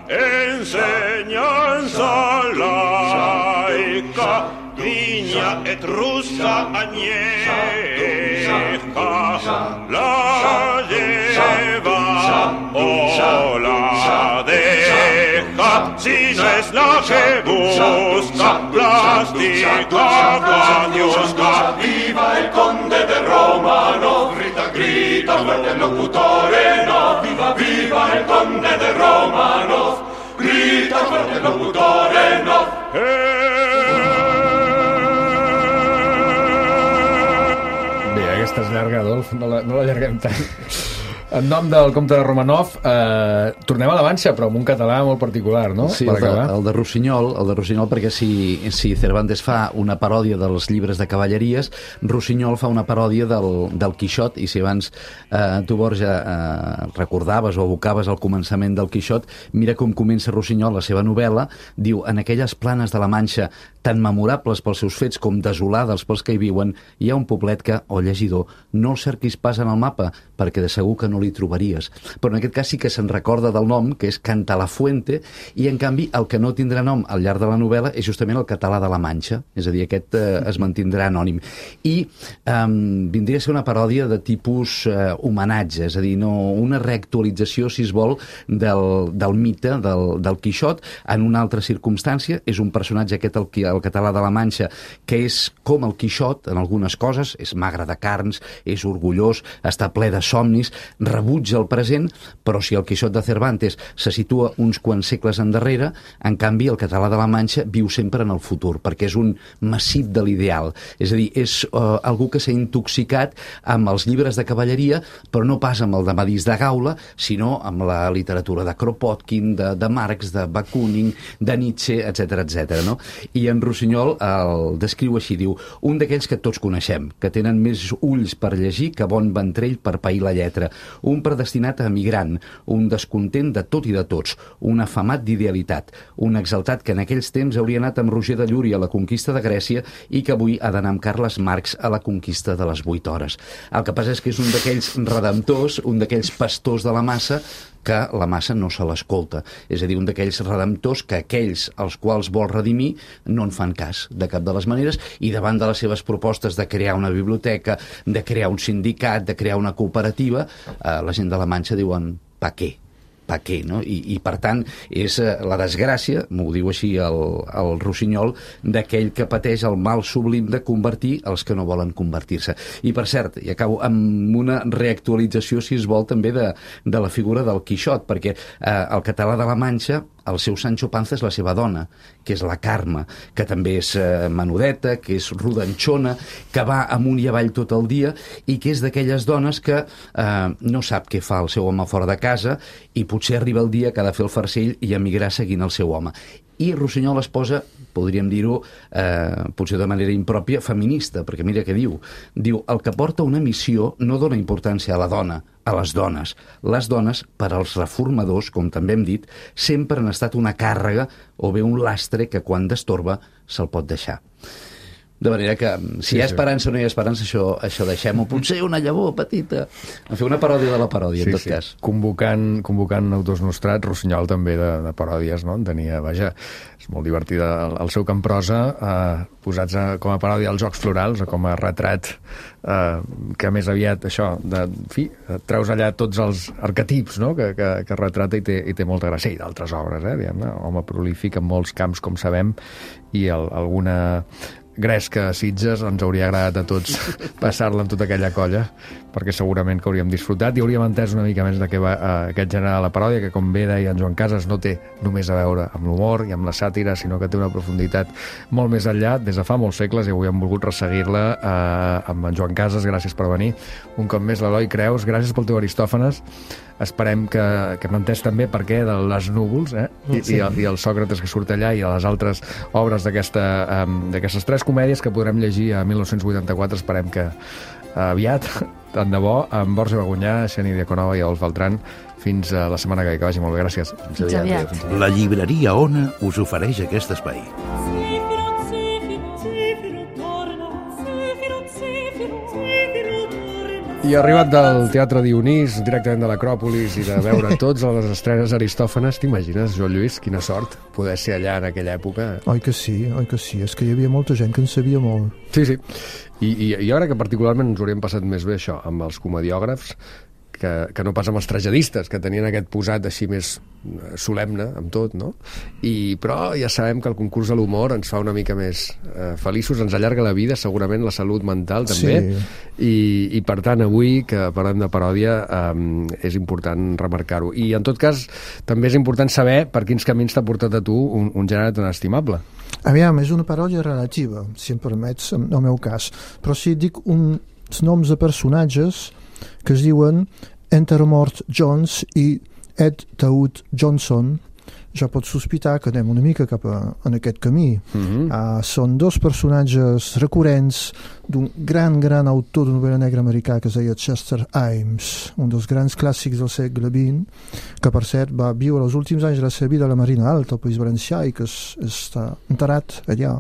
Speaker 9: enseñanza laica, vigna et russa añeja, la lleva o la deja, si no es la que busca, plástica caniosca.
Speaker 12: Viva el conde de Romano, grita, grita fuerte el locutore, no, viva, viva el conde de Romano, grita fuerte el locutore, no.
Speaker 1: Bé, aquesta és llarga, Adolf, no la, no la llarguem tant. En nom del comte de Romanov, eh, tornem a la Manxa, però amb un català molt particular, no?
Speaker 10: Sí, el de, el de Rossinyol, el de Rossinyol, perquè si, si Cervantes fa una paròdia dels llibres de cavalleries, Rossinyol fa una paròdia del, del Quixot, i si abans eh, tu, Borja, eh, recordaves o evocaves el començament del Quixot, mira com comença Rossinyol la seva novel·la, diu, en aquelles planes de la Manxa tan memorables pels seus fets com desolades pels que hi viuen, hi ha un poblet que, o llegidor, no el cerquis pas en el mapa, perquè de segur que no li trobaries. Però en aquest cas sí que se'n recorda del nom, que és Cantalafuente, i en canvi el que no tindrà nom al llarg de la novel·la és justament el català de la Manxa, és a dir, aquest eh, es mantindrà anònim. I eh, vindria a ser una paròdia de tipus eh, homenatge, és a dir, no, una reactualització, si es vol, del, del mite del, del Quixot en una altra circumstància. És un personatge aquest, el, el català de la Manxa, que és com el Quixot en algunes coses, és magre de carns, és orgullós, està ple de somnis, rebutja el present, però si el Quixot de Cervantes se situa uns quants segles endarrere, en canvi el català de la Manxa viu sempre en el futur, perquè és un massip de l'ideal. És a dir, és uh, algú que s'ha intoxicat amb els llibres de cavalleria, però no pas amb el de Madís de Gaula, sinó amb la literatura de Kropotkin, de, de Marx, de Bakunin, de Nietzsche, etcètera, etcètera, no? I en Rossinyol el descriu així, diu, un d'aquells que tots coneixem, que tenen més ulls per llegir que bon ventrell per pair la lletra, un predestinat a emigrant, un descontent de tot i de tots, un afamat d'idealitat, un exaltat que en aquells temps hauria anat amb Roger de Llúria a la conquista de Grècia i que avui ha d'anar amb Carles Marx a la conquista de les vuit hores. El que passa és que és un d'aquells redemptors, un d'aquells pastors de la massa que la massa no se l'escolta. És a dir, un d'aquells redemptors que aquells als quals vol redimir no en fan cas de cap de les maneres, i davant de les seves propostes de crear una biblioteca, de crear un sindicat, de crear una cooperativa, eh, la gent de la Manxa diuen, pa què? Pa què, no? I, i per tant, és eh, la desgràcia, m'ho diu així el, el Rossinyol, d'aquell que pateix el mal sublim de convertir els que no volen convertir-se. I per cert, i acabo amb una reactualització, si es vol, també de, de la figura del Quixot, perquè eh, el català de la Manxa, el seu Sancho Panza és la seva dona, que és la Carme, que també és eh, menudeta, que és rodanxona, que va amunt i avall tot el dia i que és d'aquelles dones que eh, no sap què fa el seu home fora de casa i potser arriba el dia que ha de fer el farcell i emigrar seguint el seu home. I Rossinyol es posa, podríem dir-ho, eh, potser de manera impròpia, feminista, perquè mira què diu. Diu, el que porta una missió no dona importància a la dona, a les dones. Les dones, per als reformadors, com també hem dit, sempre han estat una càrrega o bé un lastre que quan destorba se'l pot deixar. De manera que, si sí, hi ha esperança o no hi ha esperança, això, això deixem-ho. Potser una llavor petita. En fer una paròdia de la paròdia, sí, en tot sí. cas.
Speaker 1: Convocant, convocant autors nostrats, Rossinyol també de, de paròdies, no? En tenia, vaja, és molt divertida el, el seu cant prosa, eh, posats a, com a paròdia als Jocs Florals, o com a retrat, eh, que més aviat, això, de, en fi, treus allà tots els arquetips, no? que, que, que retrata i té, i té molta gràcia, i d'altres obres, eh? Diguem-ne, home prolífic en molts camps, com sabem, i el, alguna gresca a Sitges ens hauria agradat a tots passar-la amb tota aquella colla, perquè segurament que hauríem disfrutat i hauríem entès una mica més de què va eh, aquest gènere de la paròdia, que com bé deia en Joan Casas no té només a veure amb l'humor i amb la sàtira, sinó que té una profunditat molt més enllà, des de fa molts segles, i avui hem volgut resseguir-la eh, amb en Joan Casas. Gràcies per venir un cop més, l'Eloi Creus, gràcies pel teu Aristòfanes. Esperem que, que hem entès també per què de les núvols, eh? I, sí. i, el, i el Sòcrates que surt allà, i a les altres obres d'aquesta, um, d'aquestes tres comèdies que podrem llegir a mil nou-cents vuitanta-quatre. Esperem que uh, aviat, tant de bo, amb Borja Bagunyà, Xeni Diaconova i Adolf Beltrán. Fins a la setmana que ve, que vagi molt bé. Gràcies.
Speaker 11: Fins aviat. Fins aviat.
Speaker 2: La llibreria Ona us ofereix aquest espai.
Speaker 1: I arribat del Teatre Dionís, directament de l'Acròpolis, i de veure tots a les estrenes Aristòfanes, t'imagines, Joan Lluís, quina sort poder ser allà en aquella època?
Speaker 13: Oi que sí, oi que sí. És que hi havia molta gent que en sabia molt.
Speaker 1: Sí, sí. I, i, i ara que particularment ens hauríem passat més bé això, amb els comediògrafs, que, que no pas amb els tragedistes, que tenien aquest posat així més solemne amb tot, no? I, però ja sabem que el concurs de l'humor ens fa una mica més eh, feliços, ens allarga la vida, segurament la salut mental també, sí. I, i per tant avui que parlem de paròdia eh, és important remarcar-ho. I en tot cas també és important saber per quins camins t'ha portat a tu un, un gènere tan estimable.
Speaker 13: Aviam, és una paròdia relativa, si em permets, en el meu cas, però si dic uns noms de personatges que es diuen Entermort Jones i Ed Taud Johnson, ja pots sospitar que anem una mica cap a, en aquest camí. Mm-hmm. Uh, són dos personatges recurrents d'un gran, gran autor de novel·la negra americà que es deia Chester Himes, un dels grans clàssics del segle vint, que per cert va viure els últims anys de la seva vida a la Marina Alta, al País Valencià, i que es, està enterrat allà.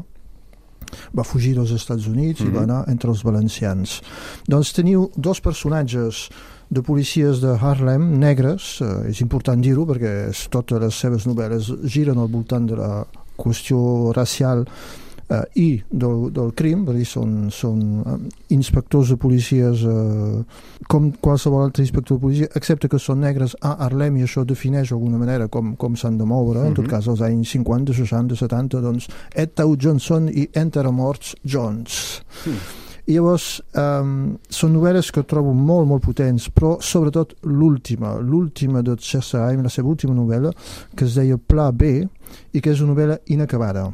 Speaker 13: Va fugir dels Estats Units mm-hmm. i va anar entre els valencians. Doncs teniu dos personatges de policies de Harlem negres, eh, és important dir-ho perquè totes les seves novel·les giren al voltant de la qüestió racial eh, i del, del crim, per dir, són, són eh, inspectors de policies eh, com qualsevol altre inspector de policia, excepte que són negres a Harlem, i això defineix d'alguna manera com, com s'han de moure, mm-hmm. en tot cas als anys cinquanta, seixanta, setanta, doncs Ed Taud Johnson i Entermort Jones. Mm. I llavors um, són novel·les que trobo molt, molt potents, però sobretot l'última, l'última de Chester Himes, la seva última novel·la, que es deia Pla B, i que és una novel·la inacabada.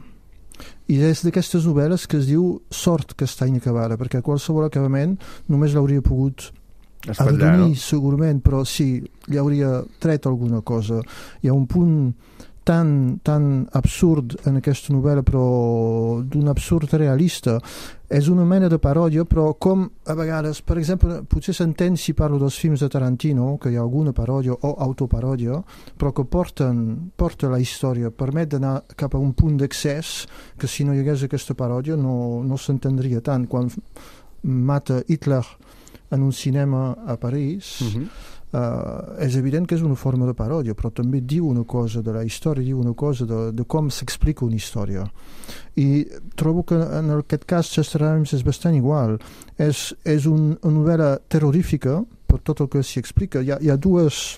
Speaker 13: I és d'aquestes novel·les que es diu Sort que està inacabada, perquè qualsevol acabament només l'hauria pogut arrodonir, no? Segurament, però sí, li hauria tret alguna cosa. Hi ha un punt tan, tan absurd en aquesta novel·la, però d'un absurd realista. És una mena de paròdia, però com a vegades, per exemple, potser s'entén si parlo dels films de Tarantino, que hi ha alguna paròdia o autoparòdia, però que porten, porta la història, permet d'anar cap a un punt d'accés que si no hi hagués aquesta paròdia no, no s'entendria tant. Quan mata Hitler en un cinema a París, mm-hmm. Uh, és evident que és una forma de paròdia, però també diu una cosa de la història, diu una cosa de, de com s'explica una història. I trobo que en aquest cas Chester Himes és bastant igual. És, és un, una novel·la terrorífica per tot el que s'hi explica. Hi ha, hi ha dues,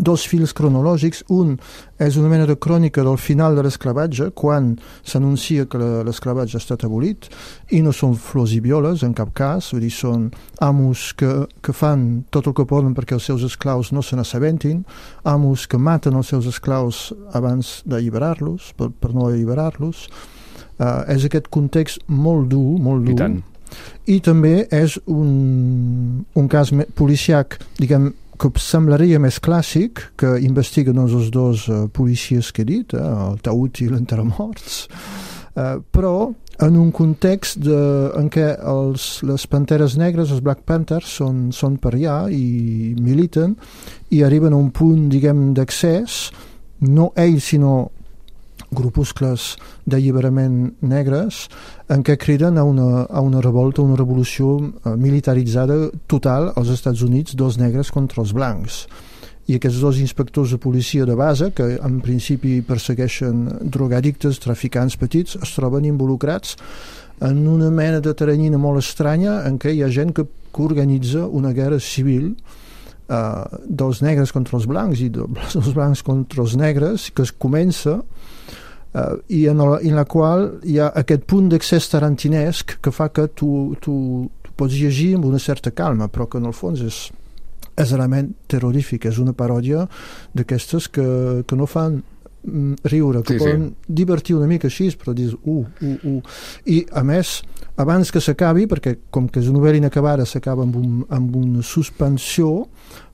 Speaker 13: dos fils cronològics. Un és una mena de crònica del final de l'esclavatge, quan s'anuncia que l'esclavatge ha estat abolit, i no són flors i violes en cap cas, vull dir, són amos que, que fan tot el que poden perquè els seus esclaus no se n'assabentin, amos que maten els seus esclaus abans d'alliberar-los, per, per no alliberar-los. Uh, és aquest context molt dur, molt dur. I tant. I també és un, un cas policiac, diguem, que semblaria més clàssic, que investiguen doncs, els dos uh, policies que he dit, eh, el Taud i l'Entermorts, uh, però en un context de, en què els, les Panteres Negres, els Black Panthers, són, són per allà i militen, i arriben a un punt, diguem, d'accés, no ells, sinó grupuscles d'alliberament negres, en què criden a una, a una revolta, una revolució eh, militaritzada total als Estats Units, dels negres contra els blancs. I aquests dos inspectors de policia de base, que en principi persegueixen drogadictes, traficants petits, es troben involucrats en una mena de teranyina molt estranya en què hi ha gent que, que organitza una guerra civil eh, dels negres contra els blancs i dels blancs contra els negres, que es comença Uh, i en la, en la qual hi ha aquest punt d'accés tarantinesc que fa que tu, tu, tu pots llegir amb una certa calma, però que en el fons és, és realment terrorífic, és una paròdia d'aquestes que, que no fan mm, riure, que sí, poden sí. divertir una mica així, però dius uh, uh, uh. I a més, abans que s'acabi, perquè com que és una novel·la inacabada s'acaba amb, un, amb una suspensió,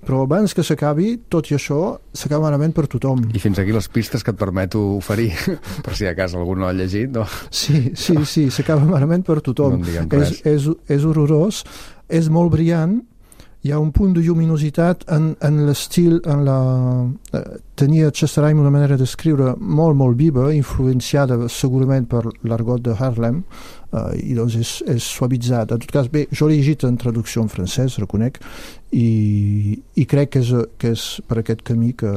Speaker 13: però abans que s'acabi, tot i això, s'acaba malament per tothom.
Speaker 1: I fins aquí les pistes que et permeto oferir, per si a casa algú no ha llegit, no?
Speaker 13: Sí, sí, sí, s'acaba malament per tothom. No és, és, és horrorós, és molt brillant, hi ha un punt de lluminositat en, en l'estil, en la... Eh, tenia Chester Aim una manera d'escriure molt, molt viva, influenciada segurament per l'argot de Harlem, uh, i doncs és, és suavitzat. En tot cas, bé, jo l'he llegit en traducció en francès, reconec, i, i crec que és, que és per aquest camí que,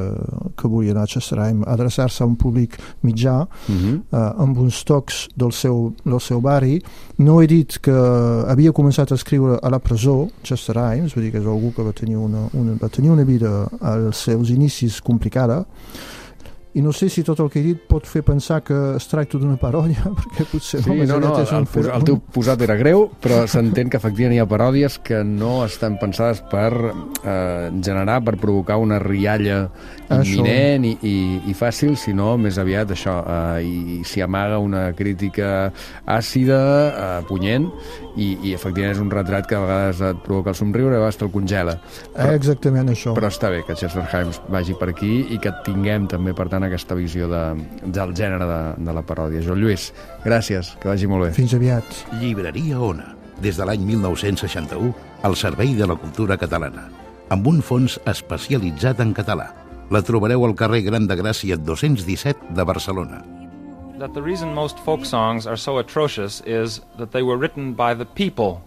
Speaker 13: que volia anar Chester Aim, adreçar-se a un públic mitjà, uh-huh. uh, amb uns tocs del seu, del seu barri. No he dit que havia començat a escriure a la presó, Chester Aim, vull dir que és algú que va tenir una, una, va tenir una vida als seus inicis complicada, i no sé si tot el que he dit pot fer pensar que es tracta d'una paròdia, perquè potser
Speaker 1: sí, no, no, el, pos, el teu posat era greu, però s'entén que efectivament hi ha paròdies que no estan pensades per eh, generar, per provocar una rialla imminent i, i, i fàcil, sinó més aviat això, eh, i s'hi amaga una crítica àcida, eh, punyent, i, i efectivament és un retrat que a vegades et provoca el somriure i a vegades te'l congela.
Speaker 13: Però, eh, exactament això.
Speaker 1: Però està bé que Chester Himes vagi per aquí i que tinguem també, per tant, aquesta visió de, del gènere de, de la paròdia. Joan Lluís, gràcies, que vagi molt bé.
Speaker 13: Fins aviat.
Speaker 14: Llibreria Ona, des de l'any mil nou-cents seixanta-u, al servei de la cultura catalana, amb un fons especialitzat en català. La trobareu al carrer Gran de Gràcia dos-cents disset de Barcelona.
Speaker 15: That the reason most folk songs are so atrocious is that they were written by the people.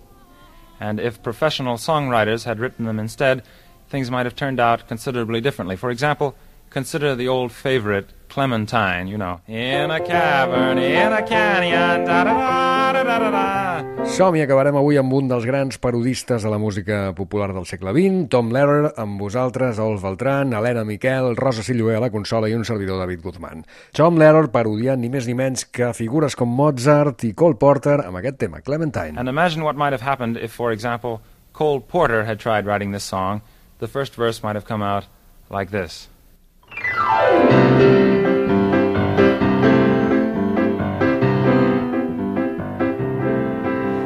Speaker 15: And if professional songwriters had written them instead, things might have turned out considerably differently. For example, consider the old favorite Clementine, you know. In a cavern, in a canyon, da-da-da-da-da-da.
Speaker 1: Som i acabarem avui amb un dels grans parodistes de la música popular del segle vint, Tom Lehrer, amb vosaltres, Ols Beltran, Helena Miquel, Rosa Silloé a la consola i un servidor, David Guzmán. Tom Lehrer parodiant ni més ni menys que figures com Mozart i Cole Porter amb aquest tema, Clementine.
Speaker 15: And imagine what might have happened if, for example, Cole Porter had tried writing this song. The first verse might have come out like this.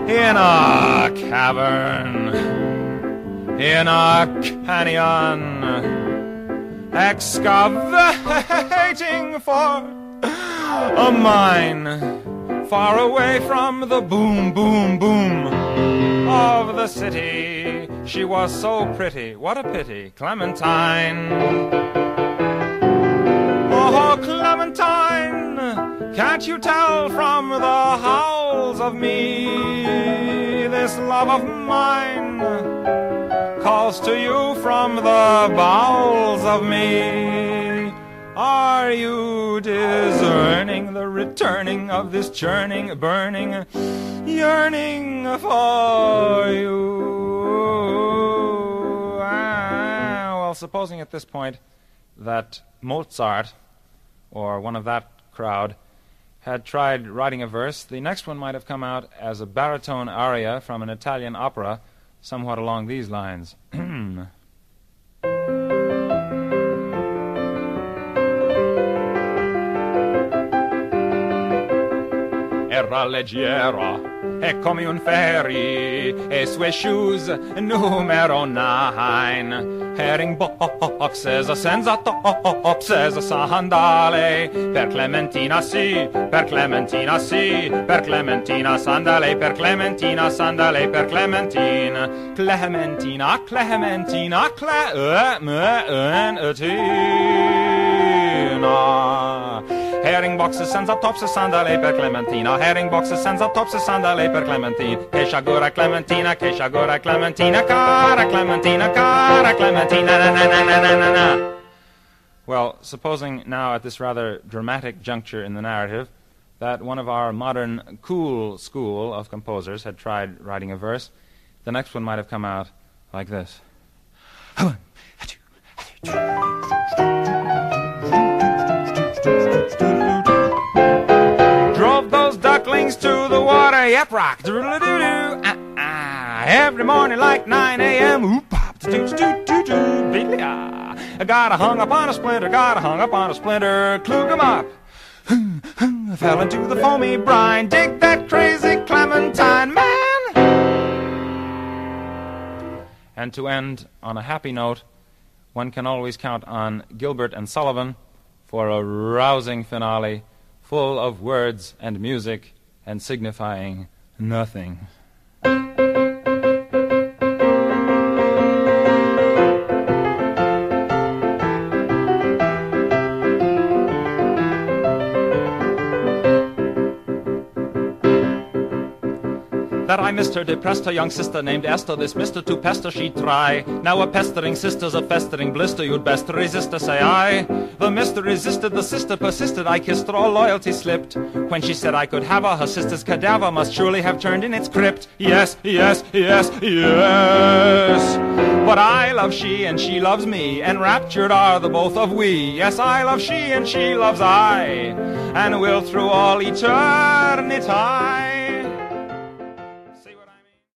Speaker 15: In a cavern, in a canyon, excavating for a mine, far away from the boom, boom, boom of the city. She was so pretty, what a pity, Clementine. Oh, Clementine, can't you tell from the howls of me, this love of mine calls to you from the bowels of me. Are you discerning the returning of this churning, burning, yearning for you? Ah, well, supposing at this point that Mozart, or one of that crowd, had tried writing a verse, the next one might have come out as a baritone aria from an Italian opera, somewhat along these lines. Era leggera e come un ferry, e sue shoes numero nine, herring boxes senza topses, sandale per Clementina sì, per Clementina sì, per Clementina sandale, per Clementina sandale, per Clementina, Clementina, Clementina, Clementina. Herring boxes senza tops sandale per Clementina, herring boxes senza tops sandale per Clementina, che sciagura Clementina, che sciagura Clementina, cara Clementina, cara Clementina, na na na na na na. Well, supposing now at this rather dramatic juncture in the narrative that one of our modern cool school of composers had tried writing a verse, the next one might have come out like this. Drove those ducklings to the water, yep, rock, doodle-doo-doo, ah-ah, every morning like nine a.m., oop-pop, doo-doo-doo-doo, beedly-ah, got a hung up on a splinter, got a hung up on a splinter, klug 'em up, fell into the foamy brine, dig that crazy Clementine, man! And to end on a happy note, one can always count on Gilbert and Sullivan for a rousing finale full of words and music and signifying nothing. that I missed her, depressed her young sister named Esther. This mister to pester she'd try. Now a pestering sister's a festering blister. You'd best resist her, say I. The mister resisted, the sister persisted. I kissed her, all loyalty slipped. When she said I could have her, her sister's cadaver must surely have turned in its crypt. Yes, yes, yes, yes. But I love she and she loves me. Enraptured are the both of we. Yes, I love she and she loves I. And will through all eternity